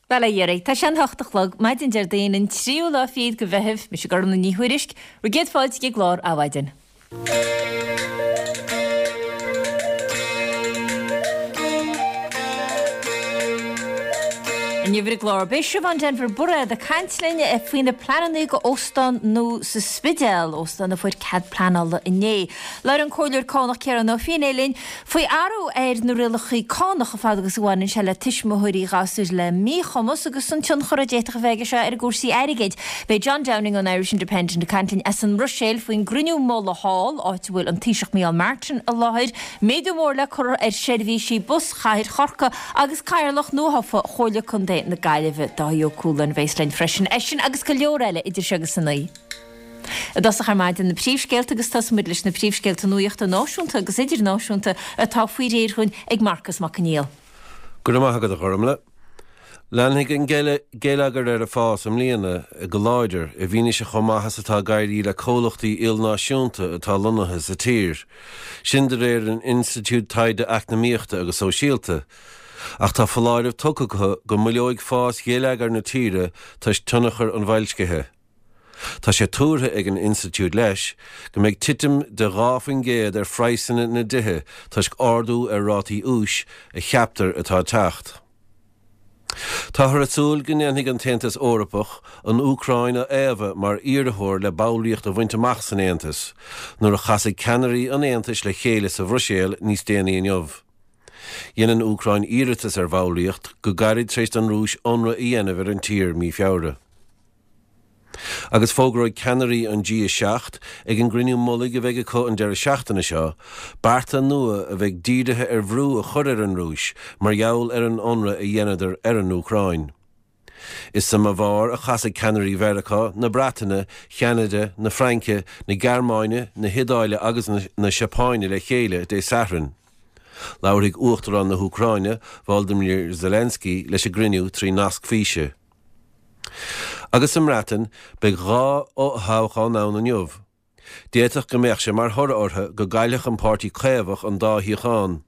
Bhuel, a Dhearáir, tá sé an hocht a chlog, maidin Déardaoin, an tríú lá fichead de Mheitheamh, mise Gormlaith Ní Thuairisg, bhur gcéad fáilte chuig an gclár Adhmhaidin. Inniu ar an gclár, beidh Siobhán Denvir Bairéad ag caint linn faoi na pleananna do óstán nua sa Spidéal, óstán a fuair cead pleanála inné. Labhróidh an Comhairleoir Cánach Ciarán Ó Feinneadha linn faoi athrú ar na rialacha cánach fad agus a bhaineann sé le tuismitheoirí gasúir le míchumas agus an tionchar a d'fhéadfadh a bheith aige seo ar a gcúrsaí airgid. Beidh John Downing ón Irish Independent ag caint linn as an mBruiséil faoin gcruinniú mullaigh thall, áit a bhfuil an Taoiseach Micheál Martin i láthair, méadú mór le cur ar sheirbhísí bus Chathair Chorcaí agus Cathaoirleach nuathofa Chomhairle Contae na Gaillimhe, Dáithí Ó Cualáin, a bheas linn freisin. É sin agus go leor eile idir seo agus a naoi. I dtosach ar maidin na príomhscéalta agus tosóidh muid leis na príomhscéalta nuachta náisiúnta agus idirnáisiúnta atá faoi réir dhúinn ag Marcas Mac Conghail. Go raibh maith agat a Ghormlaith. Leanfaidh an geilleagar air ag fás i mbliana go láidir, i bhfianaise chomh maith is atá ag éirí le comhlachtaí ilnáisiúnta atá lonnaithe sa tír. Sin de réir an Institiúid Taighde Eacnamaíochta agus Sóisialta. Ach tá foláireamh tugtha acu go moilleoidh fás gheilleagar na tíre toisc tionchar an bhoilscithe. Tá sé tuartha ag an institiúid leis go mbeidh titim de 2% ar phraghsanna na dtithe toisc ardú ar rátaí úis a cheaptar atá ag teacht. Táthar ag súil go ndéanfaidh an tAontas Eorpach an Úcráin a fhaomhadh mar iarrthóir le ballraíocht a bhaint amach san Aontas nuair a chasfaidh ceannairí an Aontais le chéile sa Bhruiséil níos déanaí inniu. Dhein an Úcráin iarratas ar bhallraíocht go gairid tar éis don Rúis ionradh a dhéanamh ar an tír mí Feabhra. Agus fógróidh ceannairí an G7 ag an gcruinniú mullaigh a bheidh acu an deireadh seachtaine seo, bearta nua a bheidh dírithe ar bhrú a chur ar an Rúis mar gheall ar an ionradh a dheineadar ar an Úcráin. Is sa mBaváir a chasfaidh ceannairí Mheiriceá, na Breataine, Cheanada, na Fraince, na Gearmáine, na hIodáile agus na Seapáine le chéile Dé Sathairn. Labharfaidh Uachtarán na hÚcráine, Volodymyr Zelensky, leis an gcruinniú trí nasc físe. Agus sa mBreatain, beidh 2 fhothoghchán ann inniu. D'fhéadfadh go mbeadh sé mar thoradh orthu go gcaillfeadh an Páirtí Caomhach an dá shuíochán.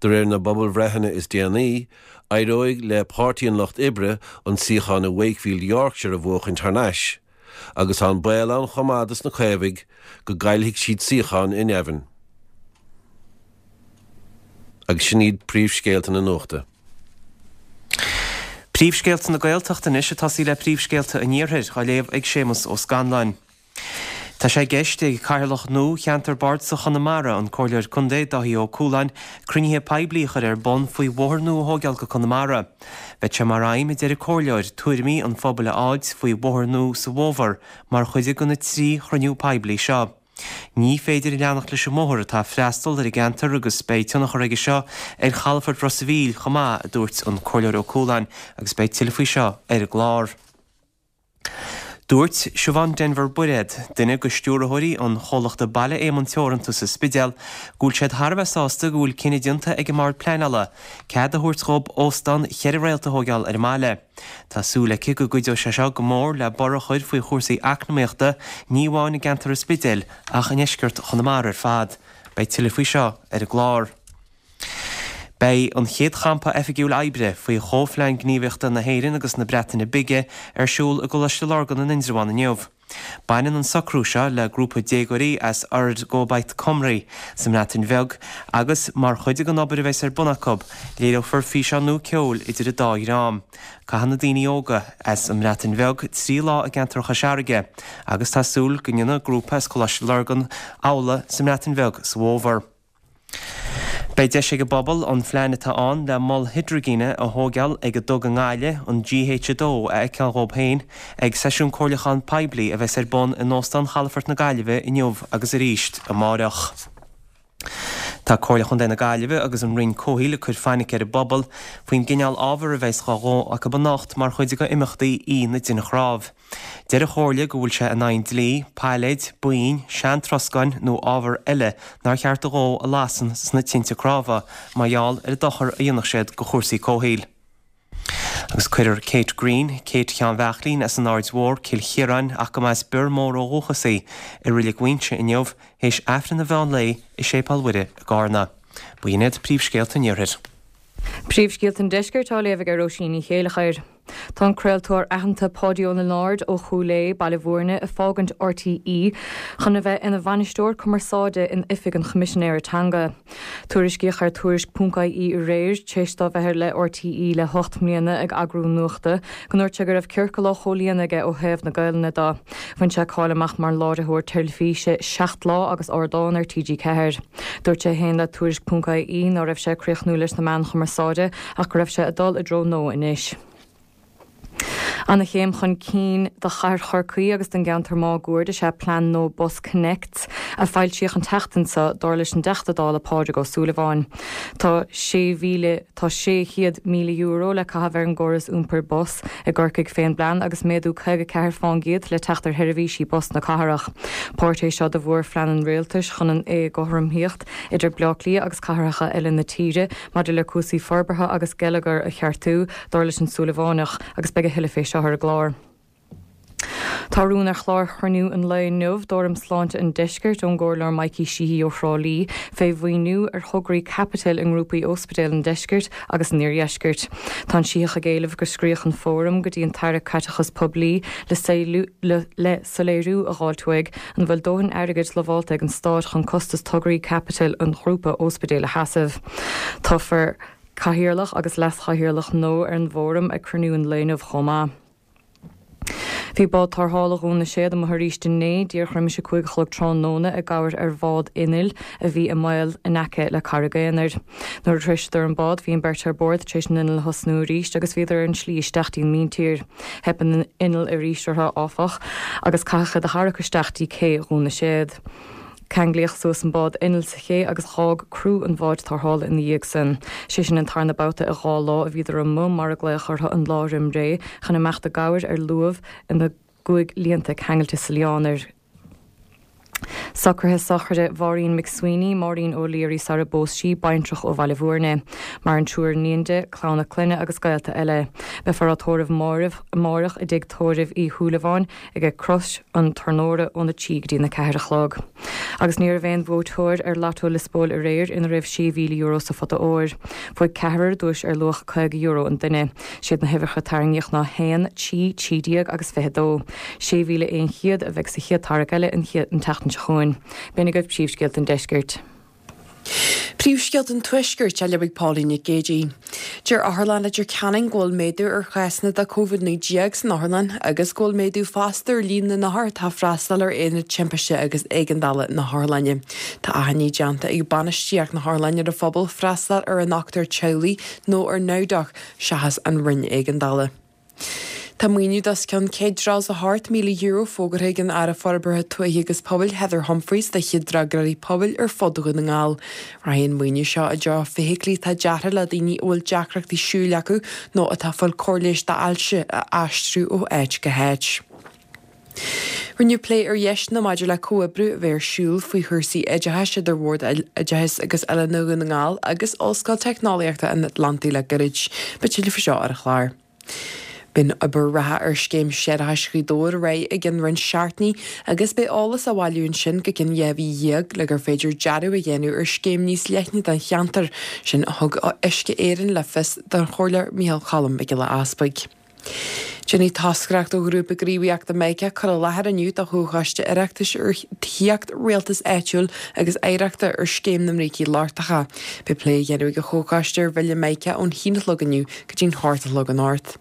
De réir na bpobalbhreitheanna is déanaí, éireoidh le Páirtí an Lucht Oibre an suíochán i Wakefield Yorkshire a bhuachaint thar n-ais, agus tá an baol ann chomh maith dos na Caomhaigh go gcaillfidh siad suíochán i nDevon. Agus sin iad príomhscéalta na nuachta. Príomhscéalta na Gaeltachta anois ag tosaí le príomhscéalta an Iarthair, á léamh ag Séamus Ó Scanláin. Tá sé i gceist ag Cathaoirleach nua Cheantar Bardasach Chonamara, an Comhairleoir Contae Dáithí Ó Cualáin, cruinnithe poiblí a chur ar bun faoi bhóthar nua a thóigeáil go Conamara. Beidh sé mar aidhm, a deir an Comhairleoir, tuairimí an phobail a fháilt faoi bhóthar nua sa bhfómhar mar chuid de na 3 chruinniú poiblí seo. Ní féidir leanacht leis an mbóthar atá ag freastal ar an gceantar agus beidh tionchar aige seo ar chalafort Ros a' Mhíl chomh maith, a dúirt an Comhairleoir Ó Cualáin agus beidh tuilleadh faoi seo ar an gclár. Dúirt Siobhán Denvir Bairéad, duine de stiúrthóirí an chomhlachta Baile Éamonn Teoranta sa Spidéal, go bhfuil siad thar a bheith sásta go bhfuil cinneadh déanta ag an mBord Pleanála cead a thabhairt dhób óstán cheithre réalt a thóigeáil ar an mbaile. Tá súil aici go gcuideoidh sé seo go mór le borradh a chur faoi chúrsaí eacnamaíochta, ní amháin i gceantar an Spidéil ach i ndeisceart Chonamara ar fad. Beidh tuilleadh faoi seo ar an gclár. Beidh an chéad champa oifigiúil oibre faoi Chomhphlean Gníomhaíochta na hÉireann agus na Breataine Bige ar siúl i gColáiste Lurgan in Indreabhán inniu. Baineann an socrú seo le grúpa déagóirí as Urdd Gobaith Cymru sa mBreatain Bheag agus, mar chuid den obair a bheas ar bun acu, léireofar físeán nua ceoil idir an dá dhream. Caithfidh na daoine óga as an mBreatain Bheag 3 lá i gceantar Chois Fharraige agus tá súil go ndéanfaidh grúpa as Coláiste Lurgan amhlaidh sa mBreatain Bheag sa bhfómhar. Beidh deis ag an bpobal an phlean atá ann le mol hidrigine a thóigeáil ag an dTug i nGaillimh, an GH2, a fheiceáil dhóib féin ag seisiún comhairliúcháin poiblí a bheas ar bun in Óstán Chalafort na Gaillimhe inniu agus arís amáireach. Tá Comhairle Chontae na Gaillimhe agus an Roinn Comhshaoil ag cur fainic ar an bpobal faoin gcineál ábhar a bheas dhá dhó acu anocht mar chuid de imeachtaí Oíche na dTine Chnámh. Deir an Chomhairle go bhfuil sé in aghaidh an dlí, pailléid, boinn, sean-troscáin nó ábhar eile nár cheart a dhó a lasadh sna tinte cnámha mar gheall ar an dochar a dhéanfadh siad do chúrsaí comhshaoil. Agus cuirfear Kate Greene, Kate Sheáin Bheachlín as an Aird Mhór, Cill Chiaráin, ach go mba as Bior Mór ó dhúchas í, i Reilig Mhuinseo inniu, théis Aifreann an mheán lae i Séipéal Mhuire i gCarna. B'in iad príomhscéalta an Iarthair. Príomhscéalta an Deiscirt á léamh ag Róisín Ní Chéileachair. Tá an craoltóir aitheanta Páidí Ó Lionáird ó Chúil Aodha, Baile Bhúirne, ag fágaint RTÉ chun a bheith ina bhainisteoir cumarsáide in Oifig an Choimisinéara Teanga. Tuairiscíodh ar Tuairisc.ie aréir, tar éis dó bheith le RTÉ le hocht mbliana ag eagrú nuachta, go ndúirt sé go raibh ciorcal á chomhlíonadh aige ó thaobh na Gaelainne de. Bhain sé cáil amach mar láithreoir teilifíse Seacht Lá agus Ardán ar TG4. Dúirt sé féin le Tuairisc.ie ná raibh sé ag críochnú leis na meáin chumarsáide ach go raibh sé ag dul i dtreo nua anois. Ana-chéim chun cinn do chathair Chorcaí agus don gceantar máguaird is ea plean nua BusConnects a foilsíodh an tseachtain seo, dar leis an dTeachta Dála Pádraig Ó Súilleabháin. Tá 6,000 Tá €600,000 le caitheamh ar an gcóras iompair bus i gCorcaigh fén bplean agus méadú 54 fán gcéad le teacht ar sheirbhísí bus na cathrach. Páirt é seo de mhórphlean an Rialtais chun an éagothromaíocht idir Bleá Cliath agus cathracha eile na tíre maidir le cúrsaí forbartha agus geilleagair a cheartú, dar leis an Súilleabhánach, agus beidh a thuilleadh fé seo ar an gclár. Tá rún ar chlár chruinniú an lae inniu d'Fhóram Sláinte an Deiscirt ón gComhairleoir Mikey Sheehy ó Thrá Lí fé mhaoiniú ar thograí caipitil i ngrúpaí óspidéil an Deiscirt agus an Iardheiscirt. Tá an Sítheach ag éileamh go scríobhadh an Fóram go dtí an tAire Caiteachais Poiblí le le soiléiriú a dh'fháilt uaidh an bhfuil dóthain airgid lamhálta ag an Stát chun costas tograí caipitil an ghrúpa óspidéil a sheasamh. Toghfar Cathaoirleach agus Leas-Chathaoirleach nua ar an bhFóram ag cruinniú an lae inniu chomh maith. Bhí bád tarrthála Dhún na Séad amuigh arís inné, díreach roimis a 5 a chlog tráthnóna, i gcabhair ar bhád innill a bhí i mbaol in aice le Carraig Aonair. Nuair a shroiseadar an bád bhí an bheirt ar bord tar éis an inneall a thosnú arís agus bhíodar ar an slí isteach dtí an míntír. Theip an inneall arís orthu, áfach, agus caitheadh iad a tharrac isteach dtí cé Dhún na Séad. Ceanglaíodh suas an bád innill sa ché agus dh'fhág criú an bháid tarrthála ina dhiaidh san. Sé sin an tarna babhta i 2 lá a bhíodar amuigh mar a glaodh orthu an lá roim ré chun imeacht i gcabhair ar luamh ina gcuaigh líonta ceangailte sa lián ar Socruithe sochraide Mháirín McSweeney, Máirín O'Leary sara bpós sí, baintreach ó Bhaile Bhúirne. Maireann triúr iníon di, clann a clainne agus gaolta eile. Beifear á tórramh amáireach i dtigh tórraimh Uí Shúilleabháin, ag Crois an Tornóra óna 3 go dtí na 4 a chlog. Agus ní raibh aon bhuaiteoir ar Lotto Liospóil aréir ina raibh €6,000 sa phota óir. Bhuaigh ceathrar duais ar luach €50 an duine. Siad na huimhreacha a tarraingíodh ná 1, 3, 13 agus 22. 6,100 a bheidh sa chéad tarrac eile an tseachtain seo chugainn. B'in agaibh príomhscéalta an deiscirt. Príomhscéalta an Tuaiscirt á léamh ag Pauline Nic Géadaigh. Deir Otharlann Leitir Ceanainn go bhfuil méadú ar chásanna de Covid-19 san otharlann agus go bhfuil méadú fosta ar líon na n-othar atá ag freastal ar Aonad Timpiste agus Éigeandála na hotharlainne. Tá achainí déanta ag bainistíocht na hotharlainne ar an phobal freastal ar a ndochtúir teaghlaigh nó ar NowDoc seachas an Roinn Éigeandála. Tá maoiniú d'os cionn €138,000 fógartha ag an Aire Forbartha Tuaithe agus Pobail Heather Humphreys do chéad fhreagróirí pobail ar fud Dhún na nGall. Rachaidh an maoiniú seo i dtreo feithiclí atá deartha le daoine a bhfuil deacrachtaí siúil acu nó atá ag fáil cóir leighis d'ailse a aistriú ó áit go háit. Rinneadh plé ar dheiseanna maidir le comhoibriú a bheith ar siúl faoi chúrsaí oideachais idir Bhord Oideachais agus Oiliúna Dhún na nGall agus Ollscoil Teicneolaíochta an Atlantaigh le gairid. Beidh tuilleadh faoi seo ar an chlár. Beidh an obair reatha ar scéim séarachais Ghaoth Dobhair ar aghaidh i gcionn roinnt seachtainí agus beidh eolas á bhailiú ansin go cionn 12 mhí le gur féidir dearadh a dhéanamh ar scéim níos leithne don cheantar, sin a thug Uisce Éireann le fios don Chomhairleoir Micheál Cholm Mac Giolla Easpaig. Déanfaidh toscaireacht ó Ghrúpa Gníomhaíochta Mica cur i láthair inniu do Chomhchoiste Oireachtais ar Thithíocht, Rialtas Áitiúil agus Oidhreachta ar Scéim na mBrící Lochtacha. Beidh plé á dhéanamh ag an Chomhchoiste ar Bhille Mica ón haon a chlog inniu go dtí'n hocht a chlog anocht.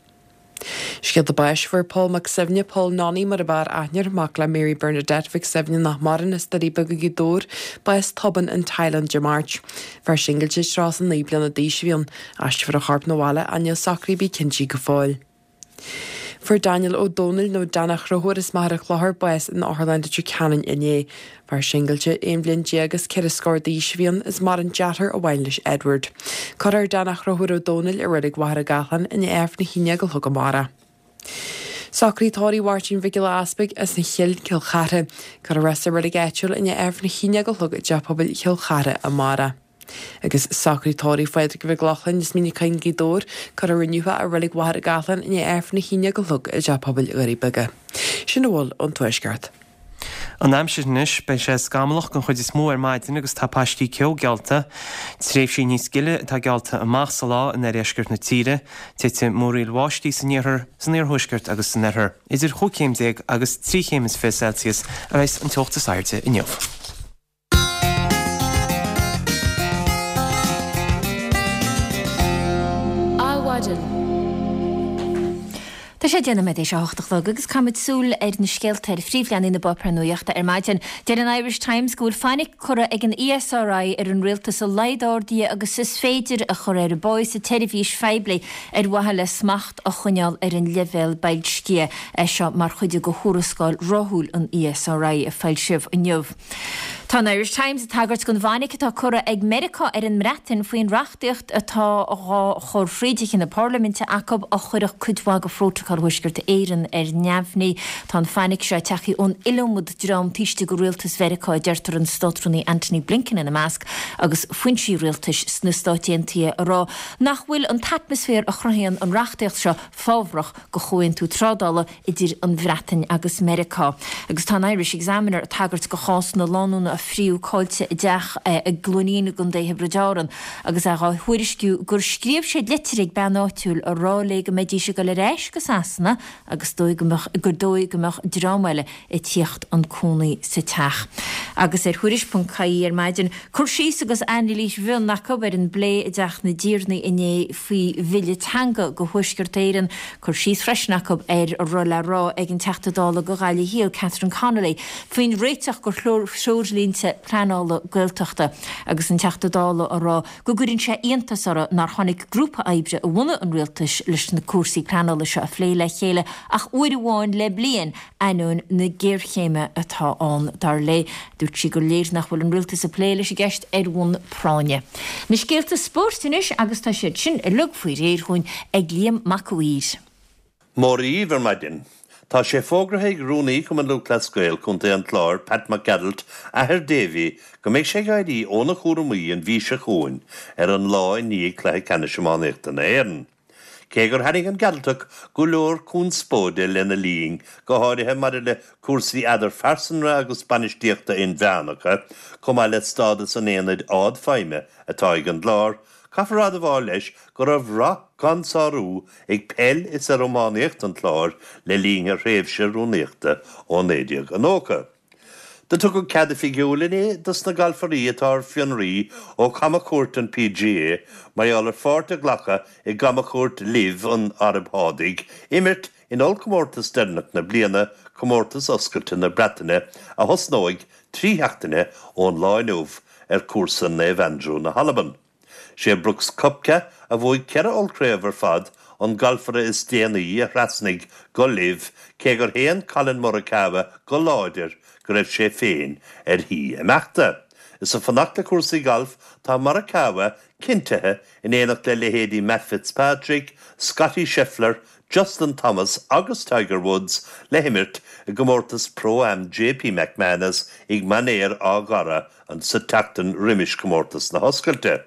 Scéalta báis Fuair Pól Mac Suibhne, Pól Nonny mar ab fhearr aithne air, mac le Mary Bernadette Mhic Suibhne nach maireann as Doirí Beaga Gaoth Dobhair, bás tobann in Thailand Dé Máirt. Fear singilte 39 bliana d'aois a bhí ann. Aistreofar a chorp 'na bhaile ach níl socruithe ar bith cinntí go fóill. Fuair Daniel Ó Dónaill nó Dan a' Chrothúir as Machaire Chlochair bás in Otharlann Leitir Ceanainn inné. Fear singilte, 11 bhliain is ceithre scór d'aois a bhí ann is maireann deartháir amháin leis Edward. Cuirfear Dan a' Chrothúir Ó Dónaill i Reilig Mhachaire Gathlán i ndiaidh Aifreann a haon déag a chlog amárach. Socruithe tórraimh Mháirtín Mhic Giolla Easpaig as an Chill, Cill Chartha. Cuirfear é sa reilig áitiúil i ndiaidh Aifreann a haon déag a chlog i dTeach Pobail Chill Chartha amárach. Agus socruithe tórraimh Phádraig Mhic Lochlainn as Mín an Choinn Gaoth Dobhair, cuirfear inniu é i Reilig Mhachaire Gathlán i ndiaidh Aifreann a haon déag a chlog i dTeach Pobail Dhoirí Beaga. Sin a bhfuil ón Tuaisceart. An aimsir anois, beidh sé scamallach den chuid is mó ar maidin agus tá paistí ceo geallta. Tréimhsí níos gile atá geallta amach sa lá in oirdheisceart na tíre. Titfidh múraíl bháistí san iarthar, san iarthuaisceart agus san oirthear. Idir chúig chéim déag agus 23 chéim Celsius a bheas an teocht is airde inniu. Adhmhaidin. Tá sé 10 nóiméad théis a hocht a chlog agus caithfimid súil ar na scéalta ar phríomhleathanaigh na bpáipéar nuachta ar maidin. Deir an Irish Times go bhfuil fainic curtha ag an ESRI ar an rialtas a laghad arduithe agus is féidir a chur ar an bpá sa tseirbhís phoiblí ar mhaithe le smacht a choinneáil ar an leibhéal boilscithe. É seo mar chuid de thuarascáil ráithiúil an ESRI a foilsíodh inniu. Tá an Irish Times ag tagairt don bhfainic atá curtha ag Meiriceá ar an mBreatain faoin reachtaíocht atá dhá chur fríd Thithe na Parlaiminte acu a chuirfeadh cuid mhaith de Phrótacal Thuaisceart Éireann ar neamhní. Tá an fainic seo tagtha ón iliomad dream taobh istigh de rialtas Mheiriceá, a deirtear, an Státrúnaí Antony Blinken ina measc, agus foinsí rialtais sna Stáit Aontaithe a rá nach bhfuil an t-atmaisféar a chruthaíonn an reachtaíocht seo fábhrach do chomhaontú trádála idir an Bhreatain agus Meiriceá. Agus tá an Irish Examiner ag tagairt do chás na lánúna a phríomh caillte i dteach i gCluainín i gContae Thiobraid Árann agus é dhá thuairisciú gur scríobh siad litir ag bean áitiúil a rá léi go mbeidís ag dul ar ais go Sasana agus dóigh go mbeadh gur dóigh go mbeadh dream eile ag tíocht 'un cónaí sa teach. Agus ar Thuairisc.ie ar maidin, cur síos agus anailís mhion acu ar an bplé i dTeach na dTiarnaí inné faoi bhille teanga do Thuaisceart Éireann, cur síos freisin acu ar a raibh le rá ag an Teachta Dála do Ghaillimh Thiar, Catherine Connolly, faoin réiteach do threoirlínte pleanála Gaeltachta agus an Teachta Dála á rá go gcuireann sé iontas orthu nár tháinig grúpa oibre a bhunaigh an Rialtas leis na cúrsaí pleanála seo a phlé le chéile ach uair amháin le bliain, ainneoin na géarchéime atá ann, dar léi. Dúirt sí gur léir nach bhfuil an Rialtas ag plé leis an gceist ar bhonn práinne. Na scéalta spóirt anois agus tá siad sin uilig faoi réir dhúinn ag Liam Mac a' Mhaoir. Móra dhíbh ar maidin. Tá sé fógraithe ag Rúnaí Chumann Lúthchleas Gael Contae an Chláir, Pat Mac Gearailt, athair Davy, go mbeidh sé ag éirí óna chúramaí an mhí seo chugainn ar an lá i ndiaidh Cluiche Ceannais Iománaíochta na hÉireann. Cé gur tharraing an Gearaltach go leor conspóide lena linn, go háirithe maidir le cúrsaí eadarphearsanra agus bainistíochta inmheánacha, chomh maith le stádas an aonaid ardfheidhme atá ag an gClár, caithfear admháil leis go raibh rath gan sárú ag peil is ar iománaíocht an Chláir le linn a thréimhse rúnaíochta ó 1990. Do tugadh cead oifigiúil inné dos na galfairí atá ar fionraí ó chamchuairt an PGA mar gheall ar pháirt a ghlacadh i gcamchuairt LIV an Araib Shádaigh imirt in ollchomórtas deireanach na bliana, Comórtas Oscailte na Breataine, a thosnóidh 3 sheachtaine ón lá inniu ar chúrsa Naomh Andrew na hAlban. Sé Brooks Koepka, a bhuaigh ceithre ollchraobh ar fad, an galfaire is déanaí a thrasnaigh go LIV, cé gur shéan Collin Morikawa go láidir go raibh sé féin ar thí imeachta. Is ag fanacht le cúrsaí gailf, tá Morikawa cinntithe in éineacht le leithéidí Matt Fitzpatrick, Scottie Scheffler, Justin Thomas agus Tiger Woods le himirt i gcomórtas Pro-Am JP McManus ag Mainéar Áth Gharra an sa tseachtain roimis comórtas na hOscailte.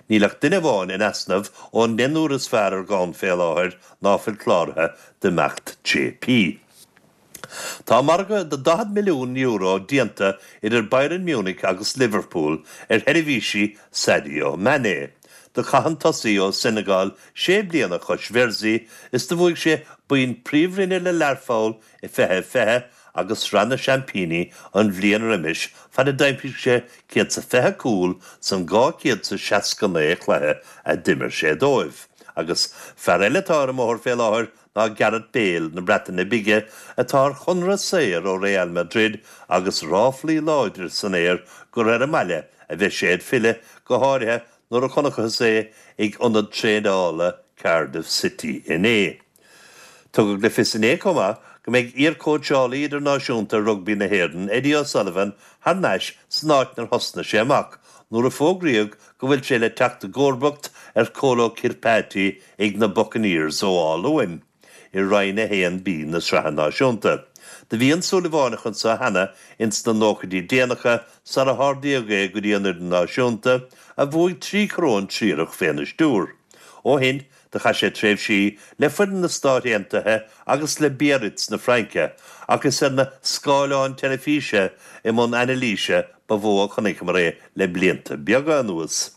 Níl ach duine amháin in easnamh ón ndeichniúr is fearr ar dhomhan fé láthair ná fuil cláraithe d'imeacht JP. Tá margadh de €40 milliún déanta idir Bayern Munich agus Liverpool ar sheirbhísí Sadio Mané. Do chaith an tosaí ó Senegal sé bliana chois Mhersey is do bhuaigh sé boinn Príomhroinne le Learpholl i 2020 agus Sraith na Seaimpíní an bhliain roimis fad a d'aimsigh sé 120 cúl san 269 chluiche a d'imir sé dóibh. Agus fear eile atá ar an mbóthar fé láthair ná Gareth Bale na Breataine Bige atá ar chonradh saor ó Real Madrid agus ráflaí láidre san aer gur ar an mbaile a bheidh sé ag filleadh, go háirithe nuair a chonacthas é ag ionad traenála Cardiff City inné. Tugadh le fios inné chomh maith go mbeidh iarchóitseálaí idirnáisiúnta rugbaí na hÉireann, Eddie O'Sullivan, thar n-ais san áit 'nar thosnaigh sé amach nuair a fógraíodh go bhfuil sé le teacht i gcomharbacht ar Kolo Kirpati ag na Buccaneers ó Áth Luain i Roinn 1B na Sraithe Náisiúnta. Do bhí an Súilleabhánach anso cheana ins na nóchaidí déanacha sar a hardaíodh é go dtí an fhoireann náisiúnta, a bhuaigh 3 choróin triarach féna stiúir. Ó shin. Do chaith sé tréimhsí le foireann na Stát Aontaithe agus le Biarritz na Fraince ach is ar na scáileáin teilifíse i mbun anailíse ba mhó a chonaiceamar é le blianta beaga anuas.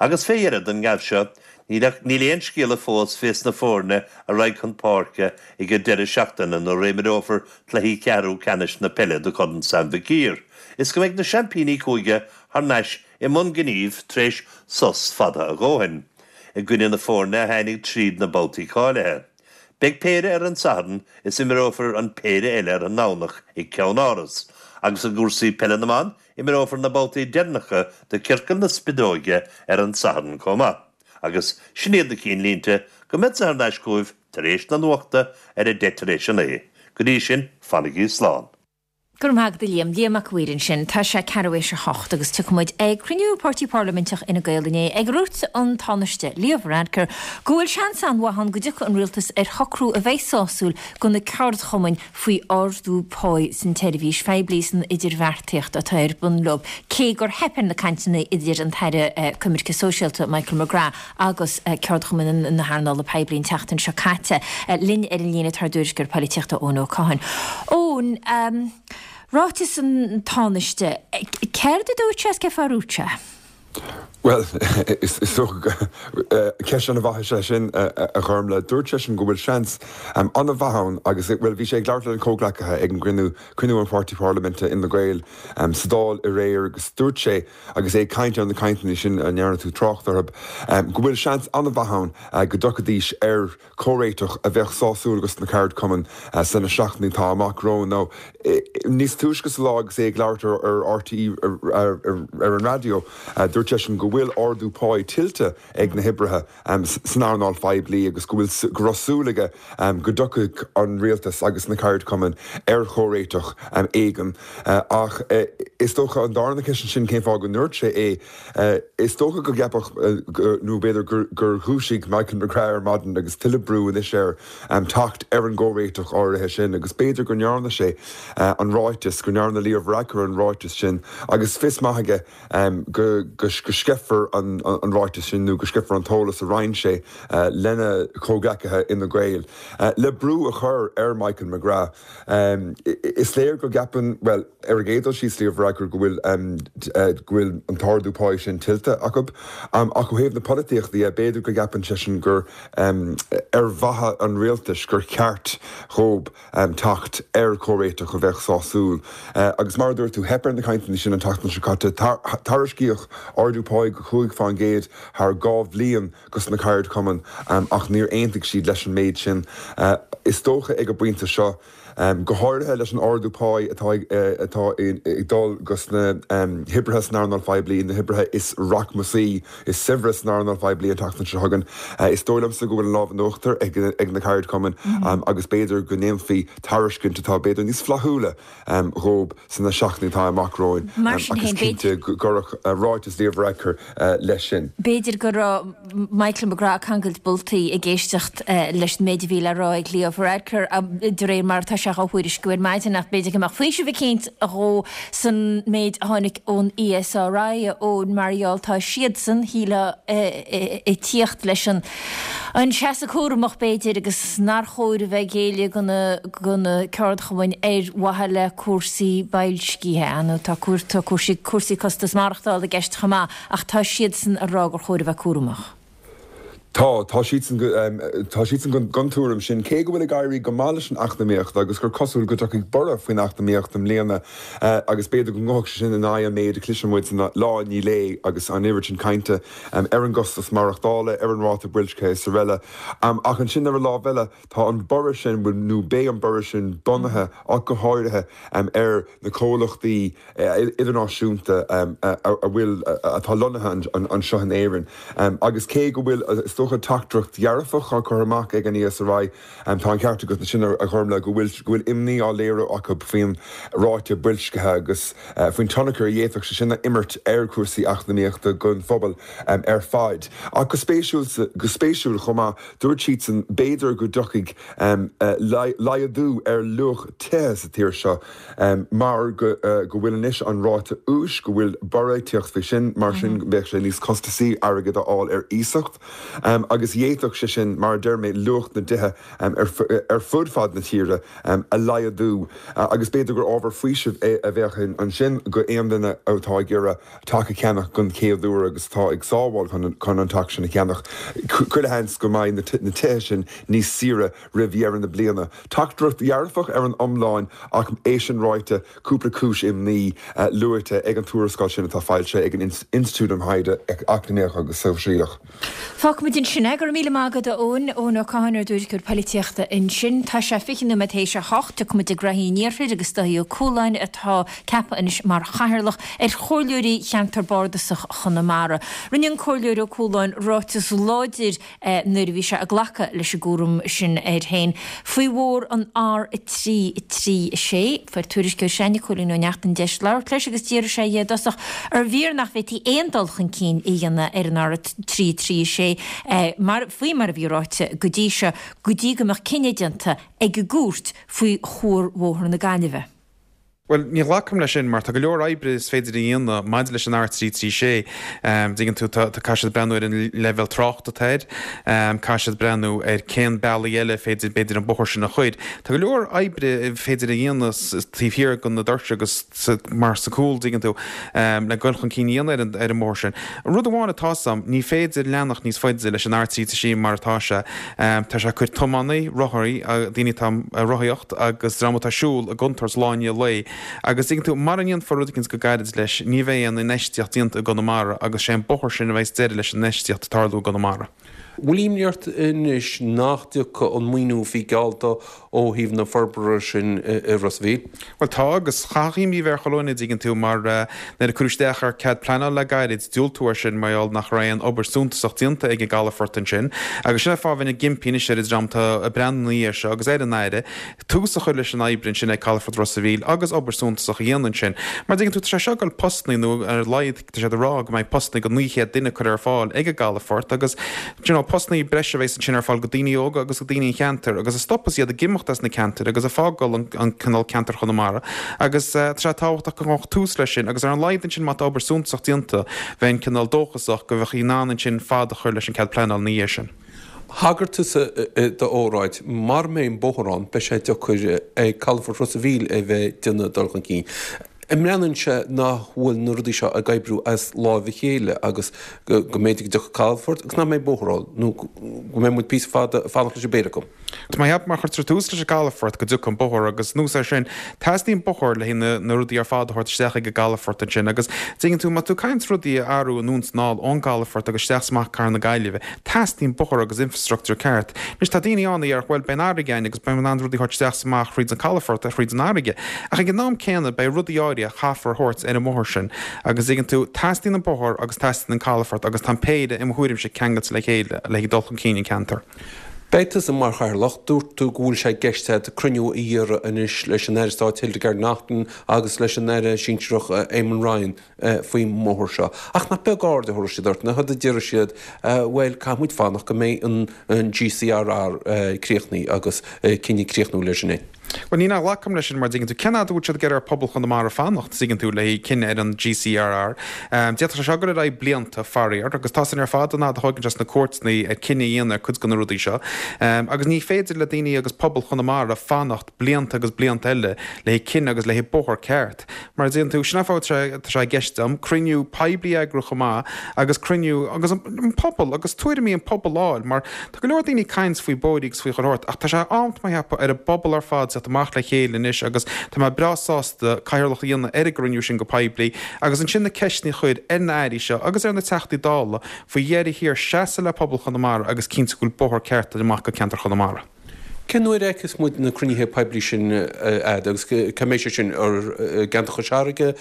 Agus fé dheireadh don ngeábh seo, níl ach níl aon scéala fós fés na foirne a raghaidh chun páirce ag an deireadh seachtaine nuair a imreofar cluichí ceathrú ceannais na peile do Chorn Sam Mhic Uidhir is go mbeidh na seaimpíní cúige thar n-ais i mbun gnímh tar éis sos fada a dhóthain i gcoinne na foirne a tháinig tríd na babhtaí cáilithe. Beidh péire ar an Satharn is imreofar an péire eile ar an nDomhnach i gCeann Áras, agus i gcúrsaí peile na mban, imreofar na babhtaí deireanacha de Ciorcal na Spideoige ar an Satharn chomh maith. Agus sin iad na cinnlínte, go mbeadsa thar n-ais chugaibh tar éis na nuachta ar a deich tar éis a naoi. Go dtí sin, fanaigí slán. Go raibh maith agat a Liam. Liam Mac a' Mhaoir ansin. Tá sé ceathrú théis a hocht agus tiocfaidh muid ag cruinniú Páirtí Parlaiminteach Fhine Gael inné ag ar dhúirt an Tánaiste Leo Varadkar go bhfuil seans an-mhaith ann go dtiocfaidh an rialtas ar shocrú a bheidh sásúil do na ceardchumainn faoi ardú páí san tseirbhís phoiblí san idirbheartaíocht atá ar bun leo cé gur theip ar na cainteanna idir an tAire Coimirce Sóisialta Michael McGrath agus ceardchumainn na hearnála poiblí an tseachtain seo caite. Linn ar an líne tá ár dtuairisceoir polaitíochta Eoin Ó Catháin. Eoin, ráiteas an Tánaiste, céard a dúirt sé is cén fáth a dúirt sé? Bhuel, is dócha ceist an-mhaith is ea sin, a Ghormlaith. Dúirt seisean go bhfuil seans an-mhaith ann agus, bhuel, bhí sé ag labhairt lena chomhghleacaithe ag an gcruinniú, cruinniú an pháirtí parlaiminte Fhine Gael sa Dáil aréir agus dúirt sé, Agus é ag caint ar na cainteanna sin a ndearna tú trácht orthu, go bhfuil seans an-mhaith ann go dtiocfaidís ar chomhréiteach a bheadh sásúil dos na ceardchumainn sna seachtainí atá amach romhainn. Nó níos túisce sa lá agus é ag labhairt ar RTÉ ar an raidió, dúirt seisean go bhfuil ardú páí tuillte ag na hoibrithe san earnáil phoiblí agus go bhfuil go raibh súil aige go dtiocfadh an rialtas agus na ceardchumainn ar chomhréiteach éigin. Ach is dócha an darna ceist ansin cén fáth go ndúirt sé é. Is dócha go gceapfadh nó b'fhéidir gur dhúisigh Michael McGrath ar maidin agus tuilleadh brú anois air teacht ar an gcomhréiteach áirithe sin agus b'fhéidir go ndearna sé an ráiteas, go ndearna Leo Varadkar an ráiteas sin agus fios maith aige go sceithfear an ráiteas sin nó go sceithfear an t-eolas a roinn sé lena chomhghleacaithe Fhine Gael le brú a chur ar Michael McGrath. Is léir go gceapann, bhuel, ar an gcéad dul síos, Leo Varadkar go bhfuil go bhfuil an t-ardú páí sin tuillte acu. Ach ó thaobh na polaitíochta dhe, b'fhéidir go gceapann seisean gur ar mhaithe an rialtais gur cheart dhób teacht ar chomhréiteach a bheadh sásúil. Agus mar a dúirt tú, theip ar na cainteanna sin an tseachtain seo caite. Tairiscíodh ardú páí de 5% thar 2 bhliain dos na ceardchumainn ach níor aontaigh siad leis an méid sin. Is dócha ag an bpointe seo, go háirithe leis an ardú páí atá atá ag dul dos na hoibrithe san earnáil phoiblí, na hoibrithe is rachmasaí, is saibhre san earnáil phoiblí an tseachtain seo chugainn. Is dóigh liomsa go bhfuil an lámh in uachtar ag na ceardchumainn agus b'fhéidir go ndéanfaí tairiscint atá b'fhéidir níos flaithiúla dhóib sna seachtainí atá amach romhainn ach is cinnte go gcuirfeadh ráiteas Leo Varadkar leis sin. B'fhéidir go raibh Michael McGrath ag cangailt boltaí ag éisteacht leis an méid a bhí le rá ag Leo Varadkar de réir mar atá sé á thuairisciú ar maidin ach b'fhéidir go mbeadh faoiseamh eicínt dhó san méid a tháinig ón ESRI, a Eoin, mar gheall tá siadsan, shílfeá, ag tíocht leis an an seasamh cúramach b'fhéidir agus nár chóir a bheith ag géilleadh do na ceardchumainn ar mhaithe le cúrsaí boilscithe. Nó tá cúrsaí costas maireachtála i gceist chomh maith ach tá siadsan ag rá gur chóir a bheith cúramach. Tá, tá siadsan, tá siadsan den tuairim sin, cé go bhfuil ag éirí go maith leis an eacnamaíocht agus gur cosúil go dtiocfaidh borradh faoin eacnamaíocht i mbliana agus b'fhéidir go ngabhfadh sé sin in aghaidh an méid a chloiseann muid lá i ndiaidh lae agus an oiread sin cainte ar an gcostas maireachtála, ar an ráta boilscithe is araile. Ach ansin ar an lámh eile, tá an borradh sin, nó beidh an borradh sin bunaithe ach go háirithe ar na comhlachtaí, idirnáisiúnta a bhfuil, atá lonnaithe anseo in Éirinn. Agus cé go bhfuil, is dócha, teachtaireacht dhearfach á cur amach ag an ESRI, tá an ceart agat ansin, a Ghormlaith, go bhfuil, go bhfuil imní á léiriú acu faoin ráta boilscithe agus faoin tionchar a d'fhéadfadh sé sin a imirt ar chúrsaí eacnamaíochta don phobal ar fad. Ach go spéisiúil, go spéisiúil chomh maith, dúirt siadsan, b'fhéidir go dtiocfaidh laghdú ar luach tithe sa tír seo, mar go bhfuil anois an ráta úis, go bhfuil borradh ag tíocht faoi sin, mar sin bheadh sé níos costasaí airgead a fháil ar iasacht. Agus d'fhéadfadh sé sin, mar a deir mé, luach na dtithe ar fud fad na tíre a laghdú agus b'fhéidir gur ábhar faoisimh é a bheadh ansin go aon duine atá ag iarraidh teach a cheannach don chéad uair agus atá ag sábháil chun an teach sin a cheannach. Chuile sheans go mbeidh na tithe sin níos saoire roimh dheireadh na bliana. Teachtaireacht dhearfach ar an iomlán ach é sin ráite, cúpla cúis imní luaite ag an tuarascáil sin atá foilsithe ag an Institiúid um Thaighde Eacnamaíoch agus Sóisialach. Fágfaimid ansin é. Go raibh míle maith agat, a Eoin. Eoin Ó Catháin, ár dtuairisceoir poilitíochta ansin. Tá sé 20 nóiméad théis a hocht. Tiocfaimid ag graithí an Iarthair agus Dáithí Ó Cualáin atá ceaptha anois mar chathaoirleach ar Chomhairleoirí Cheantar Bardasach Chonamara. Rinne an Comhairleoir Ó Cualáin ráiteas láidir nuair a bhí sé ag glacadh leis an gcúram sin air féin faoi bhóthar an R3 3 6. Fuair tuairisceoir s'againne, Cóilín Ó Neachtain deis labhairt leis agus d'fhiafraigh sé dhe i dtosach arbh fhíor nach bhféadfaí aon dul chun cinn a dhéanamh ar an R3 3 6 mar faoi mar a bhí ráite go dtí seo go dtí go mbeadh cinneadh déanta ag an gcúirt faoi Chuarbhóthar na Gaillimhe. Bhuel, ní ghlacaim leis sin mar tá go leor oibre is féidir a dhéanamh maidir leis an R336. Dtuigeann tú, tá, caithfidh siad breathnú ar an leibhéal tráchta atá air, caithfidh siad breathnú ar cén bealaí eile féidir, b'fhéidir, an bóthar sin a chur. Tá go leor oibre féidir a dhéanamh taobh thiar de na doirse agus mar sa cúl, dtuigeann tú, le dul chun cinn a dhéanamh ar an, ar an mbóthar sin. Rud amháin atá 's a'm, ní féidir leanacht níos faide leis an R336 mar atá sé. Tá sé ag cur tiománaí, rothaí, daoine atá ag rothaíocht agus dream atá ag siúl i gcontúirt lá i ndiaidh lae. Agus tuigeann tú, mara ndéanfar rud eicínt go gairid leis, ní bheidh aon infheistíocht déanta i gConamara agus sé an bóthar sin a bheas deireadh leis an infheistíocht ag tarlú i gConamara. Bhfuil imní ort anois nach dtiocfaidh an maoiniú a bhí geallta ó thaobh na forbartha sin i Ros a' Mhíl? Bhuel tá, agus chaithfeadh imní a bheith ar chuile dhuine, dtuigeann tú, mar nuair a cuireadh isteach ar cead pleanála le gairid, diúltú air sin mar gheall nach raibh aon obair suntasach déanta ag an gcalafort ansin. Agus sin an fáth a bheinn ag impí anois ar an dream atá ag breathnú ina dhiaidh seo agus ar an Aire, tús a chur leis an obair ansin ag calafort Ros a' Mhíl agus obair suntasach a dhéanamh ansin. Mar dtuigeann tú, tá sé seo ag dul postannaí nó ar a laghad tá siad ag rá go mbeidh postannaí go 900 duine curtha ar fáil ag an gcalafort agus do you know postannaí breise a bheas ansin ar fáil go daoine óga agus go daoine an cheantair agus a stopfas iad ag imeacht as na ceantair agus ag fágáil an an cineál ceantar Chonamara agus tá sé tábhachtach go mbeadh tús leis sin agus ar an laghad ansin má tá obair suntasach déanta bheinn cineál dóchasach go mbeadh in ann ansin fad a chur leis an cead pleanála ina dhiaidh sin. Thagair tusa i d'óráid, mara mbeidh an bóthar ann, beidh sé deacair ag Calafort Ros a' Mhíl a bheith ag déanamh dul chun cinn. An mbreathnaíonn sé nach bhfuil na rudaí seo ag oibriú as láimh a chéile agus go mb'fhéidir go dtiocfaidh calafort agus nach mbeidh bóthar ann nó go mbeidh muid píosa fada ag fanacht leis an bpéire acu? Tá mé ag ceapadh má chuirtear tús leis an gcalafort go dtiocfaidh an bóthar agus anuas air sin teastaíonn bóthar le haghaidh na rudaí ar fad a thabhairt isteach ag an gcalafort ansin agus tuigeann tú má tá tú ag caint rudaí a athrú anonn is anall ón gcalafort agus isteach is amach Cathair na Gaillimhe Teastaíonn bóthar agus infrastructúr ceart. Anois tá daoine ann a déarfadh bhuel beidh an fharraige againn agus beidh muid in ann rudaí a thabhairt isteach is amach thríd an calafort, thríd an fharraige. Ach ag an am céanna beidh rudaí áirithe a chaithfear a thabhairt ar an mbóthar sin. Agus tuigeann tú, teastaíonn an bóthar agus teastaíonn an calafort agus tá an péire, i mo thuairimse, ceangailte le chéile le haghaidh dul chun cinn an ceantar. Beidh tusa mar chathaoirleach, dúirt tú go bhfuil sé i gceist agat cruinniú a iarraidh anois leis an Aire Stáit Hildegarde Naughton agus leis an Aire Sinsearach Eamon Ryan. faoin mbóthar seo. Ach nach beag aird a thabharfaidh siad ort, nach a déarfaidh siad, bhuel, caithfidh muid fanacht go mbeidh an GCRR críochnaithe agus cinneadh críochnúil air sin. Bhuel, ní nach nglacaim leis sin mar dtuigeann tú, cén fhad a bhfuil siad ag iarraidh ar phobal Chonamara fanacht, tuigeann tú, le haghaidh cinneadh ar an GCRR. D'fhéadfadh sé seo dul ar aghaidh blianta, faraor, agus tá sin ar fad an fhad a thóigeann sé sna cúirteanna ar cinneadh a dhéanamh ar cuid de na rudaí seo. Agus ní féidir le daoine agus pobal Chonamara fanacht blianta agus blianta eile le haghaidh cinneadh agus le haghaidh bóthar ceart. Mar a dtuigeann tú, sin an fáth tá sé i gceist agam cruinniú poiblí a eagrú chomh maith agus cruinniú agus an pobal agus tuairimí an pobal a fháil mar tá go leor daoine ag caint faoi bóithrí agus faoi chuile shórt ach tá sé am tá mé ag ceapadh ar an bpobal ar fad teacht amach le chéile anois agus tá mé breá sásta cathaoirleacht a dhéanamh ar an gcruinniú sin go poiblí agus ansin na ceisteanna a chur ar na airí seo agus ar na Teachtaí Dála faoi dheireadh thiar seasamh le pobal Chonamara agus cinntiú go bhfuil bóthar ceart amach go ceantar Chonamara. Cén uair a fheicfeas muid na cruinnithe poiblí sin a'd agus cá mbeidh sé sin, i gceantar Chois Fharraige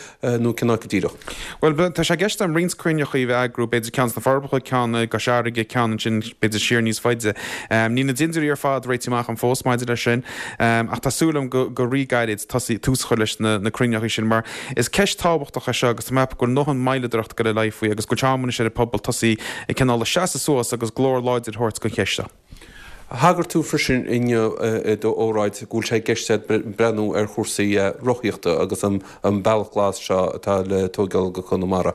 nó cén áit go díreach? Bhuel, tá sé i gceist agam roinnt cruinneachaí a eagrú, b'fhéidir ceann sna Forbacha, ceann i gCois Fharraige, ceann ansin b'fhéidir siar níos faide. Níl na dintiúirí ar fad réitithe amach agam fós maidir leis sin ach tá súil agam go rí-ghairid tosaí, tús a chur leis na cruinneachaí sin mar is ceist tábhachtach é seo agus tá mé ag ceapadh go bhfuil a ndóthain moilleadóireacht ag dul ar aghaidh faoi agus go bhfuil sé am anois ar an pobal tosaí ag cineál ag seasamh suas agus glór láidir a thabhairt don cheist seo. Thagair tú freisin inniu i d'óráid go bhfuil sé i gceist agat breathnú ar chúrsaí rothaíochta agus an bealach glas seo atá le tóigeáil go Conamara.